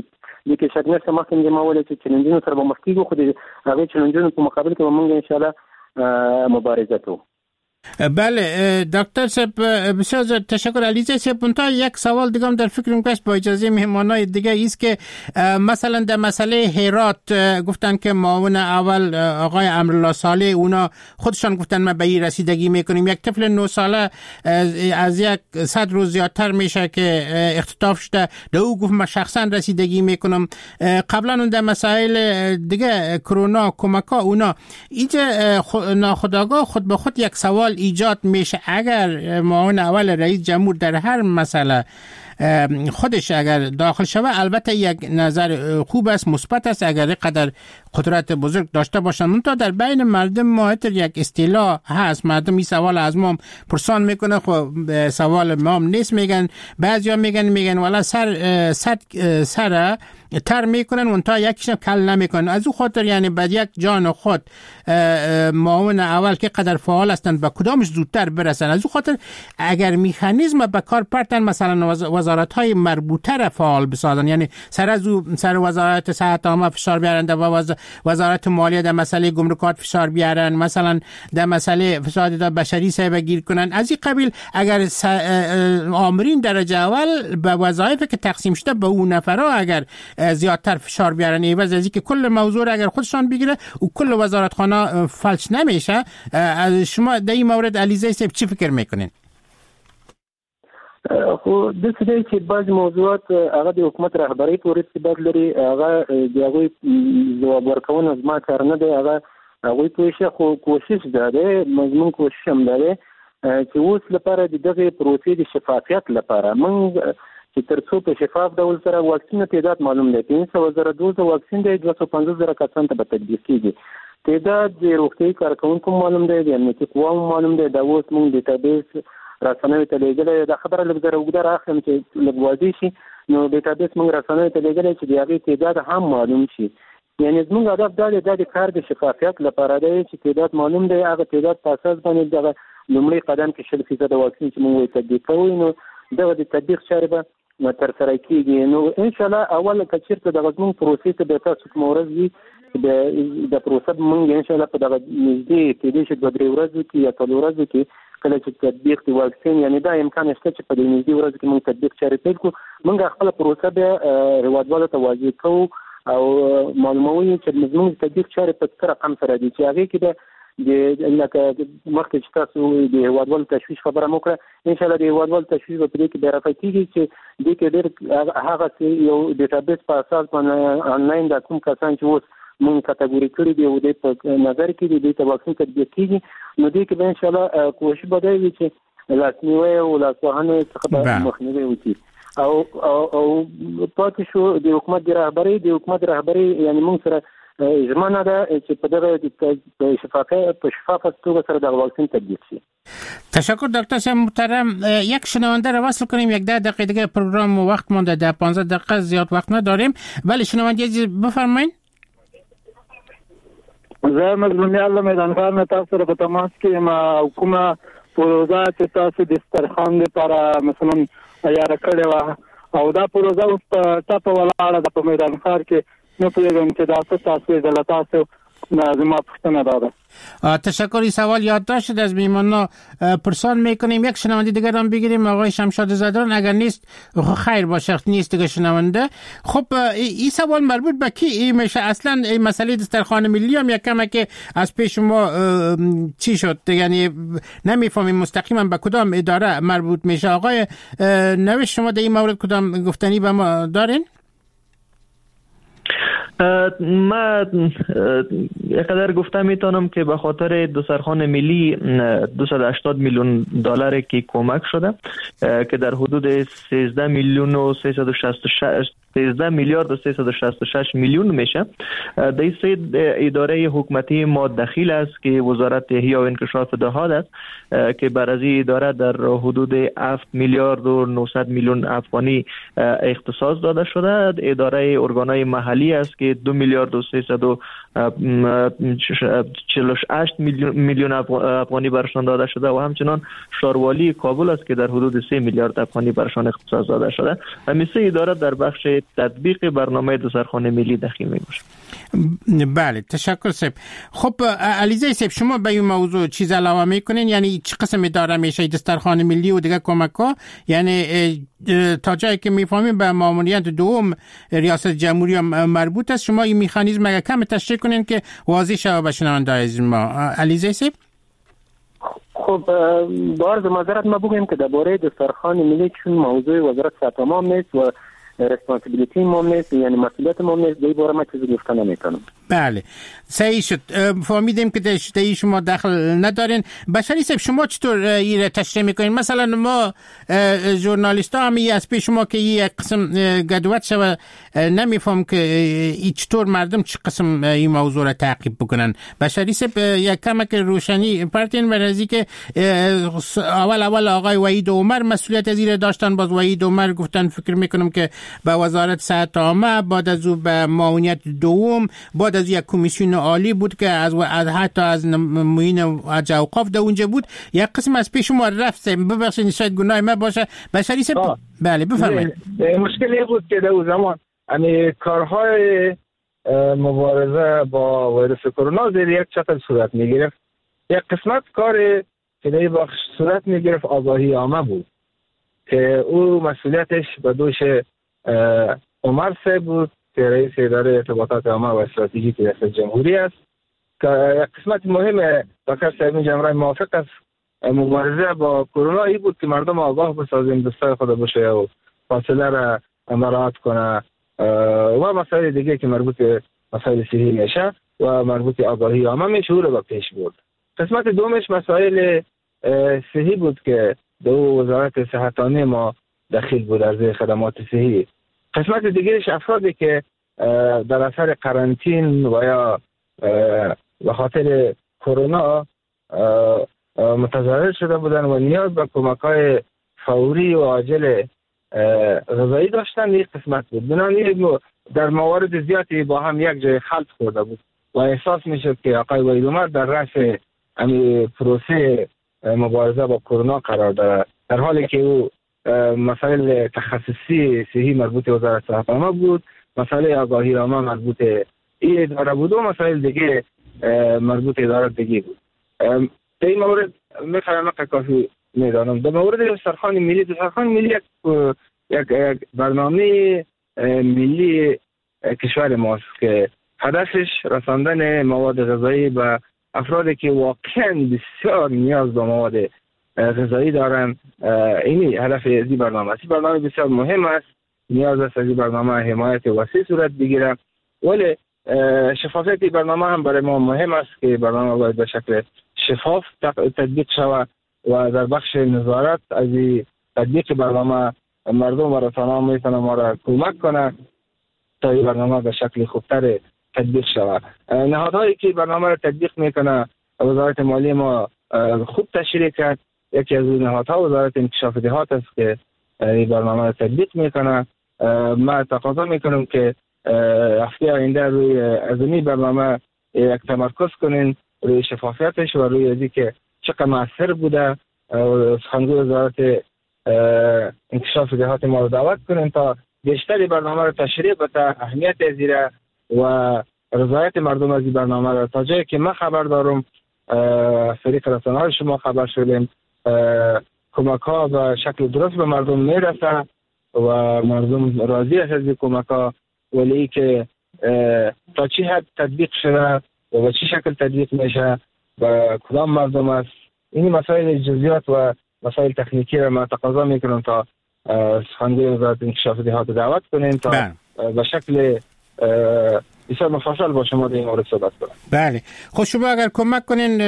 دې کې شک نشته، مخکې مې ما وویل چې چلنجونو سره به مخ کېږو، خو د هغې چلنجونو په مقابل کې به موږ انشاءالله مبارزه کوو.
بله دکتر صاحب بسیار تشکر. علیزه صاحب منتها یک سوال دیگه هم در فکرم که با اجازه مهمانای دیگه ایست که مثلا در مسئله هرات گفتن که معاون اول آقای امرالله صالح اونا خودشان گفتن ما به این رسیدگی میکنیم. یک طفل 9 ساله از 100 روز زیادتر میشه که اختطاف شده، در او گفت ما شخصا رسیدگی میکنم. قبلا اون در مسائل دیگه کرونا کمکا اونا اینجا ناخودآگاه خود به خود یک سوال ایجاد میشه. اگر معاون اول رئیس جمهور در هر مسئله خودش اگر داخل شود البته یک نظر خوب است، مثبت است اگر قدر قدرت بزرگ داشته باشند. تا در بین مردم ما یک اصطلاح هست، مردم این سوال از ما پرسان میکنه، خب سوال ما هم نیست، میگن بعضیا میگن والا سر تر میکنن اون تا یکیشم کل نمیکنن. از او خاطر یعنی بعد یک جان خود معاون اول که قدر فعال هستند با کدامش زودتر برسن. از او خاطر اگر میخانیزم به کار پرتن، مثلا وزارت های مربوطه را فعال بسازن، یعنی سر از او سر وزارت صحت عامه فشار بیارن، در وزارت مالیه در مسئله گمرکات فشار بیارن، مثلا در مسئله فساد در بشری صاحب گیر کنن. از این قبیل اگر آمرین درجه اول به وظایف که تقسیم شده به اون نفرها اگر زیادتر فشار بیارن، عوض از اینکه کل موضوع را اگر خودشان بگیره و کل وزارتخانه فلج نمیشه. شما در این مورد علیزه صاحب چی فکر میکنین؟
خو داسې دی چې بعضې موضوعات هغه د حکومت رهبرۍ پورې ارتباط لري، هغه د هغوی ځواب ورکونه زما کار نه دی، هغه هغوی پوه شي. خو کوشش دا دی، زموږ کوشش هم دا دی چې اوس لپاره د دغې پروسې د شفافیت لپاره موږ چې تر څو په شفاف ډول سره واکسین تعداد معلوم دی، 500,000 دوز واکسین دی، 250,000 کسان ته به تطبیق کېږي. تعداد د روغتیايي کارکوونکو معلوم دی، د امنیتي قواو معلوم دی. دا اوس موږ database رسنیو ته لېږلی، دا خبره لږ زره اوږده راخلم چې لږ واضح شي. نو database موږ رسنیو ته لېږلی چې د هغې تعداد هم معلوم شي. یعنی زموږ هدف دا دی، دا د کار د شفافیت لپاره دی چې تعداد معلوم دی، هغه تعداد په اساس باندې دغه لومړی قدم کې 20% واکسین چې موږ یې تطبیق کوو، نو دغه د تطبیق چارې به ترسره کېږي. نو انشاءالله اول که چېرته دغه زموږ پروسې ته بیا تاسو کومه ورځ وي، د پروسه به موږ انشاءالله په دغه نږدې کېدای شي 2-3 ورځو کې یا 4 ورځو کې کله چې تطبیق د واکسین، یعنې دا امکان شته چې په دې نږدې ورځو کې موږ تطبیق چارې پیل کړو. موږ خپله پروسه بیا هېوادوالو ته واضح کوو او معلوموو یې چې زموږ تطبیق چارې په څه رقم سره دي، چې هغې کې به د لکه مخکې چې تاسو د هېوادوالو تشویش خبره مو کړه، انشاءالله د هېوادوالو تشویش به په دې کې بیا رفع کېږي چې دې کې ډېر هغسې یو database په اساس باندې آنلاین دا کوم کسان چې اوس مونږ کتګوري کړي دي او دې په نظر کې دي، دې ته واکسین تطبیق کېږي. نو دې کې به انشاءالله کوشش به دا وي چې لاسنیوی او لاسوهنې څخه به مخنیوی وکړي. او او پاتې شو د حکومت د رهبرۍ، د حکومت رهبرۍ یعنې مونږ سره ژمنه ده چې په دغه په شفافه توګه سره دغه واکسین تطبیق شي.
تشکر دکتر صاحب محترم. یک شنونده را وصل کنیم، 10 دقیقه دیگه پروگرام وقت مونده، 10-15 دقیقه زیاد وقت نداریم. بله شنونده عزیز بفرمایید.
زه مظلومیار له میدان ښار نه تاسو سره په تماس کې یم. او کومه پروژه چې تاسو د سترخان لپاره مثلا عیاره کړې وه او دا پروژه اوس په ټپه ولاړه ده په میدان ښار کې، نه پوهېږم چې دا څه تاسو ده، له تاسو زما پوښتنه دا ده.
تشکر. این سوال یادداشت شد، از میهمان‌ها پرسان میکنیم. یک شنونده دیگر هم بگیریم، آقای شمشاد زدران. اگر نیست خیر باشه، نیست دیگه شنونده. خب این سوال مربوط به کی میشه اصلا؟ این مسئله دسترخوان ملی هم یک کمه که از پیش ما چی شد، یعنی نمیفهمیم مستقیما به کدام اداره مربوط میشه. آقای نوش، شما در این مورد کدام گفتنی به ما دارین؟
ما یقدر گفته میتونم که به خاطر دسترخوان ملی 280 میلیون دلار که کمک شده که در حدود 13 میلیون و 366 13 میلیارد و 366 میلیون میشه. در این سه اداره حکومتی ما دخیل است که وزارت احیا و انکشاف دهات است که بر از این اداره در حدود 7 میلیارد و 900 میلیون افغانی اختصاص داده شده. اداره ارگانهای محلی است که 2 میلیارد و 348 میلیون افغانی برشان داده شده و همچنان شاروالی کابل است که در حدود 3 میلیارد افغانی برشان اختصاص داده شده. همین سه اداره در بخش تطبیق برنامه دسترخوان ملی دخیل می باشد.
بله تشکر صاحب. خب علیزه صاحب، شما به این موضوع چیز علاوه میکنین؟ یعنی چه قسم اداره میشه دسترخوان ملی و دیگه کمک ها؟ یعنی تا جایی که میفهمیم به ماموریت دوم ریاست جمهوری هم مربوط است. شما این مکانیزم اگه کم تشریح کنین که واضح شود به شنونده عزیز ما. علیزه صاحب.
خب با عرض معذرت ما بگویم که درباره دسترخوان ملی چون موضوع وزارت صحت عامه نیست و responsibility ما نیست، یعنی مسئولیت ما نیست، دی باره ما چیزی گفته نمیتونم.
بله صحیح شد، فهمیدیم که در شما دخل ندارین. بشری صاحب، شما چطور این تشریح میکنین؟ مثلا ما ژورنالیست ها هم از پیش شما که یک قسم گدوت شوه نمیفهم که ای چطور مردم چه قسم این موضوع را تعقیب بکنن. بشری صاحب یک کمک روشنی پرتین برای که اول آقای وحید عمر مسئولیت از این داشتن، باز وحید عمر گفتن فکر میکنم که به وزارت صحت عامه، بعد از او به معاونیت دوم، بعد از یک کمیسیون عالی بود که از حتی از معین اوقاف در اونجا بود. یک قسم از پیش ما رفت. ببخشید شاید گناه ما باشه. بشری صاحب بله بفرمایید.
مشکلی بود که در اون زمان یعنی کارهای مبارزه با ویروس کرونا زیر یک چتر صورت میگرفت. یک قسمت کار که در بخش صورت میگرفت آگاهی عامه بود که او مسئولیتش به دوش عمر صاحب بود که رئیس اداره ارتباطات عامه و استراتژیک ریاست جمهوری است که یک قسمت مهم دکتر صاحب جمهوری موافق است مبارزه با کرونا ای بود که مردم آگاه بسازیم، دستای خود بشه و فاصله را مراعات کنه و مسائل دیگه که مربوط به مسائل صحی میشه و مربوط به آگاهی عامه میشه، او را به پیش برد. قسمت دومش مسائل صحی بود که دو وزارت صحتانه ما دخیل بود از خدمات صحی. قسمت دیگرش افرادی که در اثر قرنطین و یا به خاطر کرونا متضرر شده بودن و نیاز به کمک‌های فوری و عاجل غذایی داشتن، یک قسمت بود. بنابراین در موارد زیادی با هم یک جای خلط خورده بود و احساس میشد که آقای وحید عمر در رأس همین پروسه مبارزه با کرونا قرار دارد، در حالی که او مسائل تخصصی صحی مربوط به وزارت صحت عامه بود، مسئله آگاهی عامه مربوط این اداره بود و مسائل دیگه مربوط اداره دیگه بود. در این مورد میخوایم کافی میدانم. در مورد دسترخوان ملی، دسترخوان ملی یک برنامه ملی کشور ماست که هدفش رساندن مواد غذایی به افرادی که واقعا بسیار نیاز به مواد غذایی دارن. اینی هدف از این برنامه است. این برنامه بسیار مهم است، نیاز است از این برنامه حمایت وسیع صورت بگیره، ولی شفافیت برنامه هم برای ما مهم است که برنامه باید به شکل شفاف تطبیق شود و در بخش نظارت از تطبیق برنامه مردم و رسانه‌ها میتونه ما را کمک کنه تا این برنامه به شکل خوبتر تطبیق شود. نهادهایی که برنامه را تطبیق میکنه وزارت مالی ما خوب تشریح کرد. یکی از نهادها وزارت انکشاف دهات است که این برنامه را تطبیق میکنه. ما تقاضا میکنم که هفته آینده روی از این برنامه یک تمرکز کنین، روی شفافیتش و روی از اینکه چقدر مؤثر بوده. سخنگوی وزارت انکشاف دهات ما رو دعوت کنین تا بیشتر برنامه رو تشریح بده، اهمیت زیره و رضایت مردم از این برنامه را. تا جایی که من خبر دارم از طریق رسانه‌های شما خبر شدیم، کمک ها به شکل درست به مردم میرسه و مردم راضی است از این کمک ها، ولی ای که تا چه حد تطبیق شده و به چه شکل تطبیق میشه و کدام مردم است، این مسائل جزئیات و مسائل تکنیکی را ما تقاضا میکنم تا سخنگوی وزارت انکشاف دهات دعوت کنیم تا به شکل بسیار مفصل با شما در این مورد صحبت کنم.
بله، خب شما اگر کمک کنین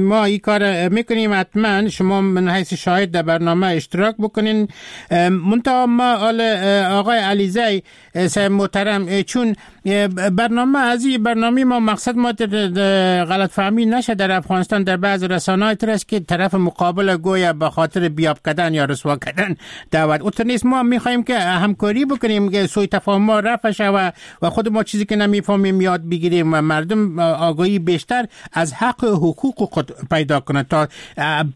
ما این کار میکنیم حتما. شما من حیث شاهد در برنامه اشتراک بکنین. منتها ما آقای علیزی صاحب محترم، چون برنامه از این برنامه ما مقصد ما غلط فهمی نشه در افغانستان در بعض رسانه‌های تر است که طرف مقابل گویا به خاطر بیاب کردن یا رسوا کردن دعوت اوتر نیست. ما میخوایم که همکاری بکنیم که سوء تفاهم ما رفع شود و خود ما چیزی که نمیفهمیم یاد بگیریم و مردم آگاهی بیشتر از حق و حقوق خود پیدا کنند تا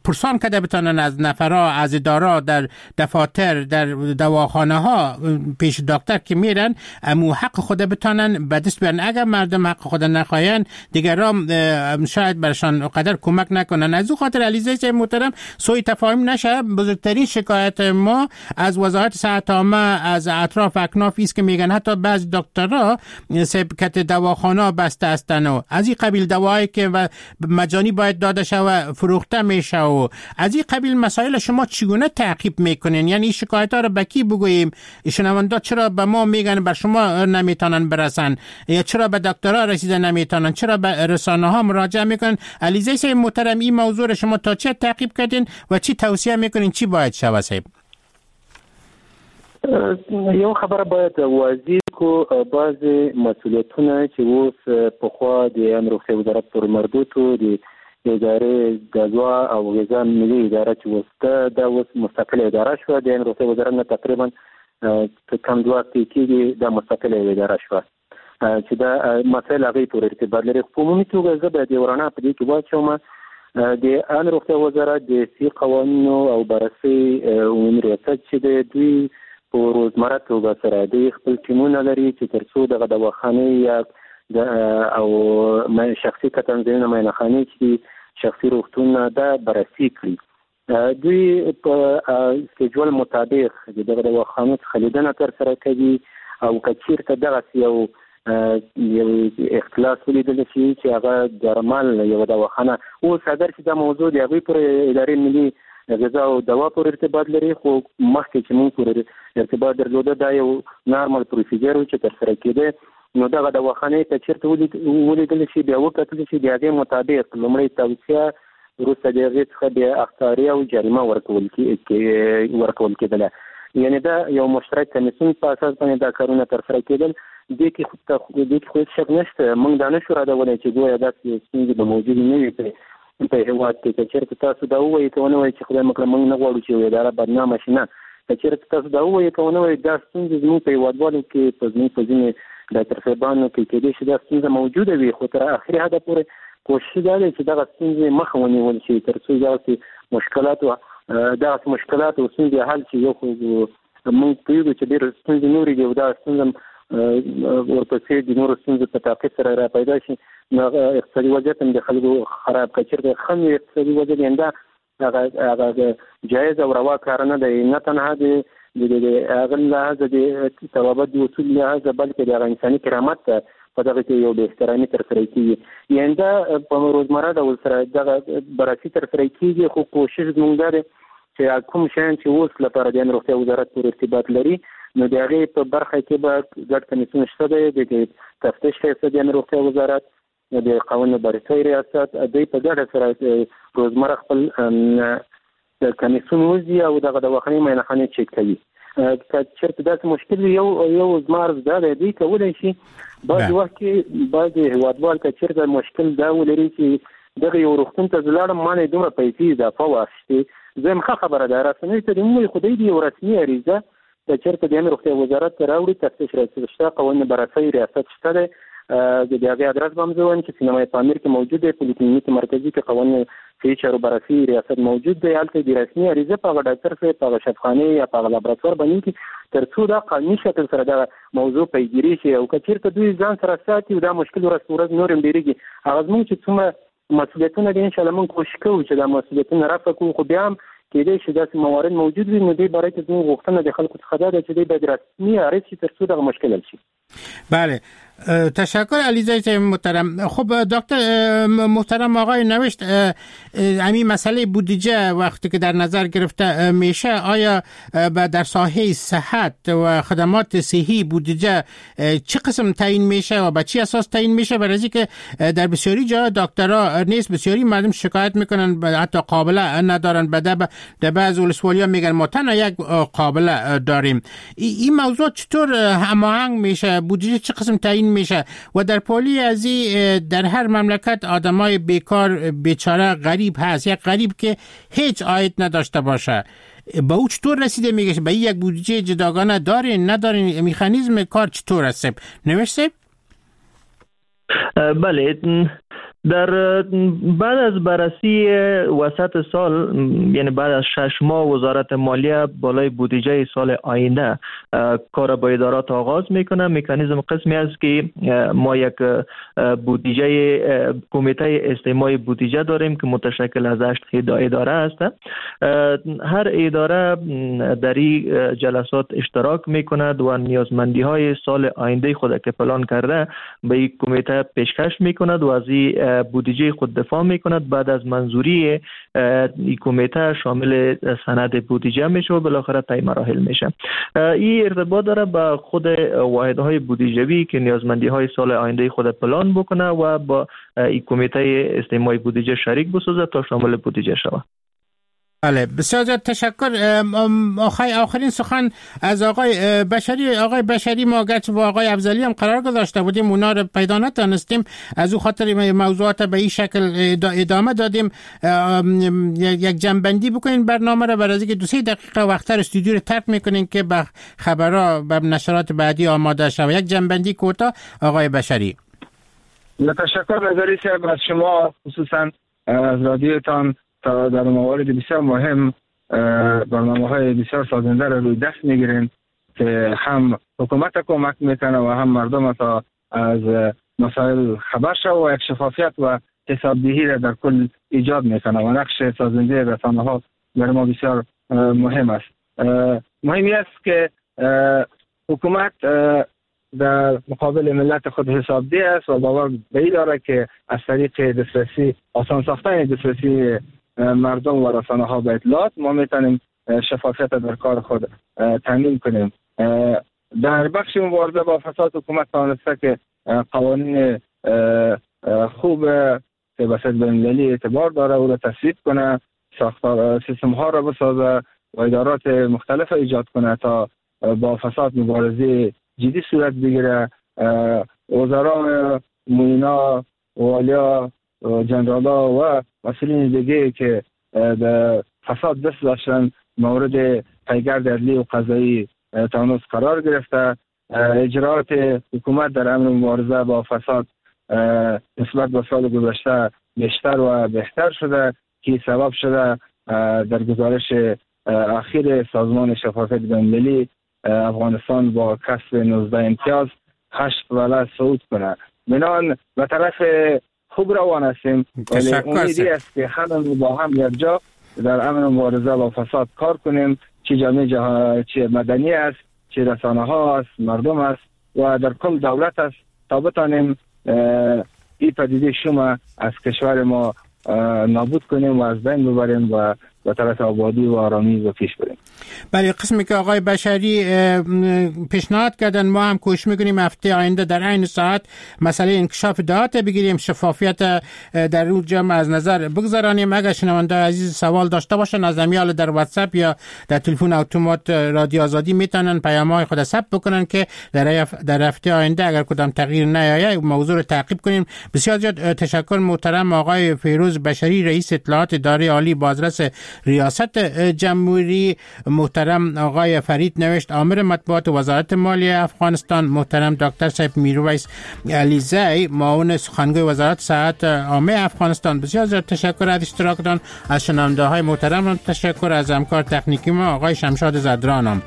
پرسان کده بتانن از نفرا، از ادارا، در دفاتر، در دواخانه ها پیش دکتر که میرن امو حق خود بتانن به دست بیارن. اگر مردم حق خود نخواین دیگران شاید برشان قدر کمک نکنن. از او خاطر علیزی محترم سوء تفاهم نشه. بزرگترین شکایت ما از وزارت صحت عامه از اطراف اکناف است که میگن حتی بعض دکترها سبکت دواخانه بسته هستن و از این قبیل دواهایی که مجانی باید داده شوه فروخته میشه و از این قبیل مسائل شما چگونه تعقیب میکنین؟ یعنی شکایت ها رو به کی بگوییم؟ شنونده چرا به ما میگن بر شما نمیتونن برسن، یا چرا به دکترها رسیده نمیتونن، چرا به رسانه ها مراجعه میکنن؟ علیزی صاحب محترم، این موضوع رو شما تا چه تعقیب کردین و چی توصیه میکنین چی باید شوه صاحب؟
یو خبره باید واضح کو، بعضې مسؤلیتونه چې اوس پخوا د عامې روغتیا وزارت پورې مربوط وو، د ادارې د دوا او غذا ملي اداره چې اوس ده، دا اوس مستقله اداره شوه. د عامې روغتیا وزارت نه تقریبا کم 2 هفتې کېږي دا مستقله اداره شوه چې دا مسایل هغې پورې ارتباط لري. خو په عمومي توګه زه باید یو رڼا په دې کې واچوم، د عامې روغتیا وزارت د صحي قوانینو او بررسۍ عمومي ریاست چې دی، دوی په روزمره توګه سره دوی خپل ټیمونه لري چې ترڅو دغه دواخانې یا او شخصي کتنځایونه، معاینهخانې چې دي، شخصي روغتونونه دا بررسي کړي. دوی په سکیجول مطابق د دغه دواخانو څخه لیدنه ترسره کوي او که چیرته دغسې یو یو اختلاس ولیدل شي چې هغه درمل یوه دواخانه اوس اګر چې دا موضوع د هغوی پر ادارې ملي غذا او دوا پورې ارتباط لري، خو مخکې چې موږ پورې ارتباط درلوده دا یو نارمل پروسیجر و چې ترسره کېده. نو دغه دواخانې که چېرته ولیدل شي بیا وکتل شي، د هغې مطابق لومړی توصیه، وروسته د هغې څخه بیا اخطاریه او جریمه ورکول کېدله. یعنې دا یو مشترک کمیسیون په اساس باندې دا کارونه ترسره کېدل. دې کې خو هېڅ شک نشته، موږ دا نه شو ردولی چې ګویا داسې ستونزې به موجودې نه وي په هېواد کې. که چېرته تاسو دا ووایئ که ونه وایئ چې خدای مه کړه موږ نه غواړو چې یو اداره بدنامه شي، نه، که چېرته تاسو دا ووایئ که ونه وایئ دا ستونزې زموږ په هېوادوالو کې، په زموږ په ځینې ډاکټر صاحبانو کې کېدای شي دا ستونزه موجوده وي، خو تر اخري حده پورې کوشش دا دی چې دغه ستونزې مخه ونیول شي تر څو دغسې مشکلات او ستونزې حل شي. یو خو موږ پوهېږو چې ډېرې ستونزې نورې دي او دا ستونزه ورپسې د نورو ستونزو په تعقیب سره را پیدا شي، نو هغه اقتصادي وضعیت هم د خلکو خراب. که چېرته ښه وي اقتصادي وضعیت، یعنې دا هغه جایز او روا کار نه دی، نه تنها د هغه لحاظه د طبابت د اصول لحاظه، بلکې د هغه انساني کرامت ته په دغه کې یو بې احترامي ترسره کېږي. یعنې دا په روزمره ډول سره دغه بررسي ترسره کېږي، خو کوشش زموږ دا دی چې کوم شیان چې اوس لپاره د عامې روغتیا وزارت پورې ارتباط لري، نو د هغې په برخه کې به ګډ کمیسیون شته دی، د تفتیش ریاست د عامې روغتیا وزارت، د قوانینو بررسۍ ریاست، دوی په ګډه سره روزمره خپل کمیسیون وځي او دغه دواخانې معاینهخانې چک کوي. که چېرته داسې مشکل وي، یو زما عرض دا دی، دوی کولی شي بعضې وخت کې بعضې هېوادوال که چېرته مشکل دا ولري چې دغه یو روغتون ته زه لاړم، ما نه یې دومره پیسې اضافه واخیستې، زه یم ښه خبره ده، رسنیو ته دې ووایي، خو دوی دې یو رسمي عریضه که چېرته د عامې روغتیا وزارت ته راوړي، تفتیش ریاست شته، قوانینو بررسۍ ریاست شته دی، د هغې ادرس به هم زه وایم چې سینمای پامیر کې موجود دی، پولیکلینیک مرکزي کې قوانینو صحي چارو بررسي ریاست موجود دی، هلته د رسمي عریضه په هغه ډاکټر صاحب، په هغه شفخانې یا په هغه لابراتوار باندې وکړي تر څو دا قانوني شکل سره دغه موضوع پیګیري شي. او که چېرته دوی ځان سره ساتي او دا مشکل ورځ په ورځ نور هم ډېرېږي، هغه زموږ چې څومره مسؤلیتونه دي انشاءالله موږ کوشش کوو چې دا مسؤلیتونه رفع کړو، خو بیا هم کېدای شي داسې موارد موجود وي. نو دې باره کې زموږ غوښتنه د خلکو څخه دا ده چې دوی باید رسمي عارض شي تر څو دغه مشکل حل شي.
بله، تشکر علیزاده محترم. خب دکتر محترم آقای نوشت، همین مسئله بودجه وقتی که در نظر گرفته میشه، آیا در ساحه صحت و خدمات صحی بودجه چه قسم تعیین میشه و به چه اساس تعیین میشه؟ برای که در بسیاری جا دکترها نیست، بسیاری مردم شکایت میکنن، حتی قابله ندارن، در بعض ولسوالیا میگن ما تنها یک قابله داریم. این موضوع چطور هماهنگ میشه؟ بودجه چه قسم تعیین میشه؟ و در پالی از در هر مملکت آدمای بیکار بیچاره غریب هست، یک غریب که هیچ عاید نداشته باشه، به او چطور رسیده میگه؟ به یک بودجه جداگانه دارین ندارین؟ مکانیزم کار چطور است؟ نوشته؟
بله، در بعد از بررسی وسط سال، یعنی بعد از 6 ماه، وزارت مالیه بالای بودجه سال آینده کار با ادارات آغاز میکنه. مکانیزم قسمی است که ما یک بودجه کمیته استماع بودجه داریم که متشکل از 8 اداره است. هر اداره در این جلسات اشتراک میکند و نیازمندی های سال آینده خود که پلان کرده به این کمیته پیشکش میکند و از این بودجه خود دفاع میکند. بعد از منظوری این کمیته شامل سند بودجه میشه و بالاخره طی مراحل میشه. این ارتباط داره با خود واحدهای بودجوی که نیازمندی های سال آینده خود پلان بکنه و با این کمیته استماع بودجه شریک بسازه تا شامل بودجه شود.
بله، بسیار زیاد تشکر. آخرین سخن از آقای بشری. آقای بشری، ما گرچه با آقای افضلی هم قرار گذاشته بودیم، اونا رو پیدا نتانستیم، از او خاطر موضوعات به این شکل ادامه دادیم. یک جنبندی بکنین برنامه رو، برای اینکه 2-3 دقیقه وقتر استودیو رو ترک میکنین که به خبرها به نشرات بعدی آماده شود. یک جنبندی کوتاه آقای بشری.
تشکر نظری صاحب از شما، خصوصا از رادیوتان، تا در موارد بسیار مهم برنامه های بسیار سازنده را روی دست میگیریم که هم حکومت کمک میکنه و هم مردم تا از مسائل خبر شو و یک شفافیت و حسابدهی را در کل ایجاد میکنه و نقش سازنده رسانه ها برای ما بسیار مهم است. مهمی است که حکومت در مقابل ملت خود حسابده است و باور به این داره که از طریق دسترسی، آسان ساختن دسترسی مردم و رسانه ها به اطلاعات، ما میتونیم شفافیت در کار خود تامین کنیم. در بخش مبارزه با فساد حکومت توانسته که قوانین خوب که به سطح بین‌المللی اعتبار داره او را تصویب کنه، ساختار سیستم ها را بسازه و ادارات مختلف ایجاد کنه تا با فساد مبارزه جدی صورت بگیره. وزرا، معینا، والیا، جنرالا و مسئولین دیگه که به فساد دست داشتن مورد پیگرد عدلی و قضایی تانوس قرار گرفته. اجراعات حکومت در امر مبارزه با فساد نسبت به سال گذشته بیشتر و بهتر شده که سبب شده در گزارش اخیر سازمان شفافیت بین‌المللی افغانستان با کسب 19 امتیاز 8 پله صعود کنه. بنان به طرف خوب روان هستیم، ولی امیدی است که همه با هم یک جا در امر مبارزه با فساد کار کنیم، چه جامعه چه مدنی است، چه رسانه ها است، مردم است و در کل دولت است تا بتانیم این پدیده شما از کشور ما نابود کنیم و از بین ببریم و به طرف آبادی و آرامی و پیش بریم.
بله، قسمی که آقای بشری پیشنهاد کردن ما هم کوشش میکنیم هفته آینده در عین ساعت مسئله انکشاف دهات بگیریم، شفافیت در اون جمع از نظر بگذرانیم. اگر شنونده عزیز سوال داشته باشن از امیال در واتساپ یا در تلفن اتومات رادیو آزادی میتونن پیام‌های خود ثبت بکنن که در هفته آینده اگر کدام تغییر نیاید موضوع رو تعقیب کنیم. بسیار زیاد تشکر محترم آقای فیروز بشری، رئیس اطلاعات اداره عالی بازرس ریاست جمهوری، محترم آقای فرید نوشت آمر مطبوعات وزارت مالیه افغانستان، محترم دکتر صاحب میرویس علیزی معاون سخنگوی وزارت صحت عامه افغانستان. بسیار زیاد تشکر از اشتراکتان. از شنونده های محترم تشکر، از همکار تکنیکی ما آقای شمشاد زدرانم.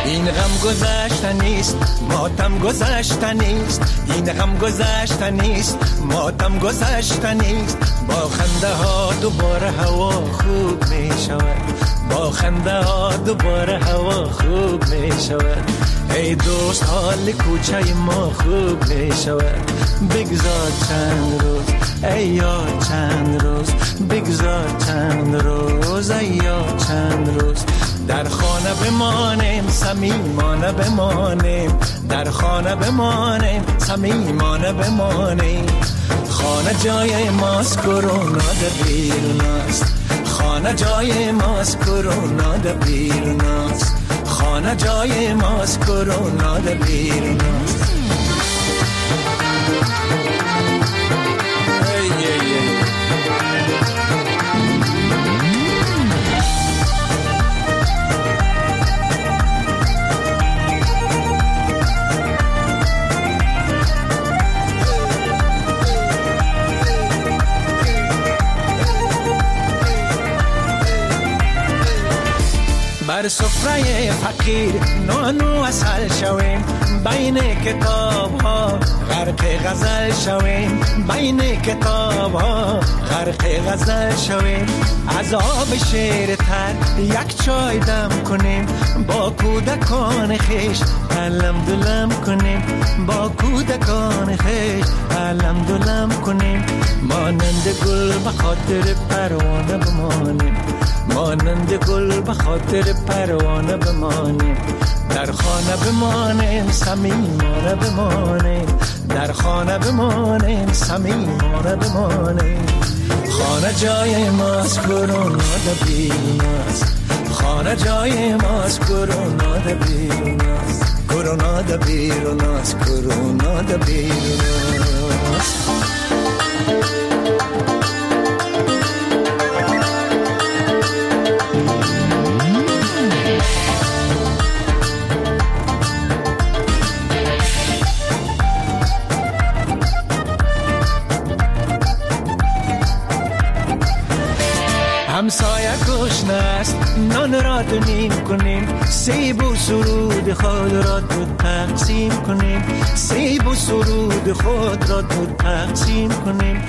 این غم گذشته نیست، ماتم گذشته نیست، این غم گذشته نیست، ماتم گذشته نیست. با خنده ها دوباره هوا خوب می شود، با خنده ها دوباره هوا خوب می شود. ای دوست حال کوچه ما خوب می شود، بگذار چند روز ای یار چند روز، بگذار چند روز ای یار چند روز. در خانه بمانیم صمیمانه بمانیم، در خانه بمانیم صمیمانه بمانیم. خانه جای ماست کرونا در بیرون است، خانه جای ماست کرونا در بیرون است، خانه جای ماست کرونا در بیرون است. بر سفره فقیر نان و عسل شویم، بین کتاب ها غرق غزل شویم، بین کتاب ها غرق غزل شویم. از آب شیر تر یک چای دم کنیم، با کودکان خویش علم دلم کنیم، با کودکان خویش علم دلم کنیم. مانند گل به خاطر پروانه بمانیم، مانند گل به خاطر پروانه بمانیم. در خانه بمانیم صمیمانه بمانیم، در خانه بمانیم صمیمانه بمانیم. خانه جای ماست کرونا در بیرون است، خانه جای ماست کرونا در بیرون است، کرونا در بیرون است، کرونا در بیرون است. همسایه گشنه است نان را دو نیم کنیم، سیب و سرود خود را دو تقسیم کنیم، سیب و سرود خود را دو تقسیم کنیم.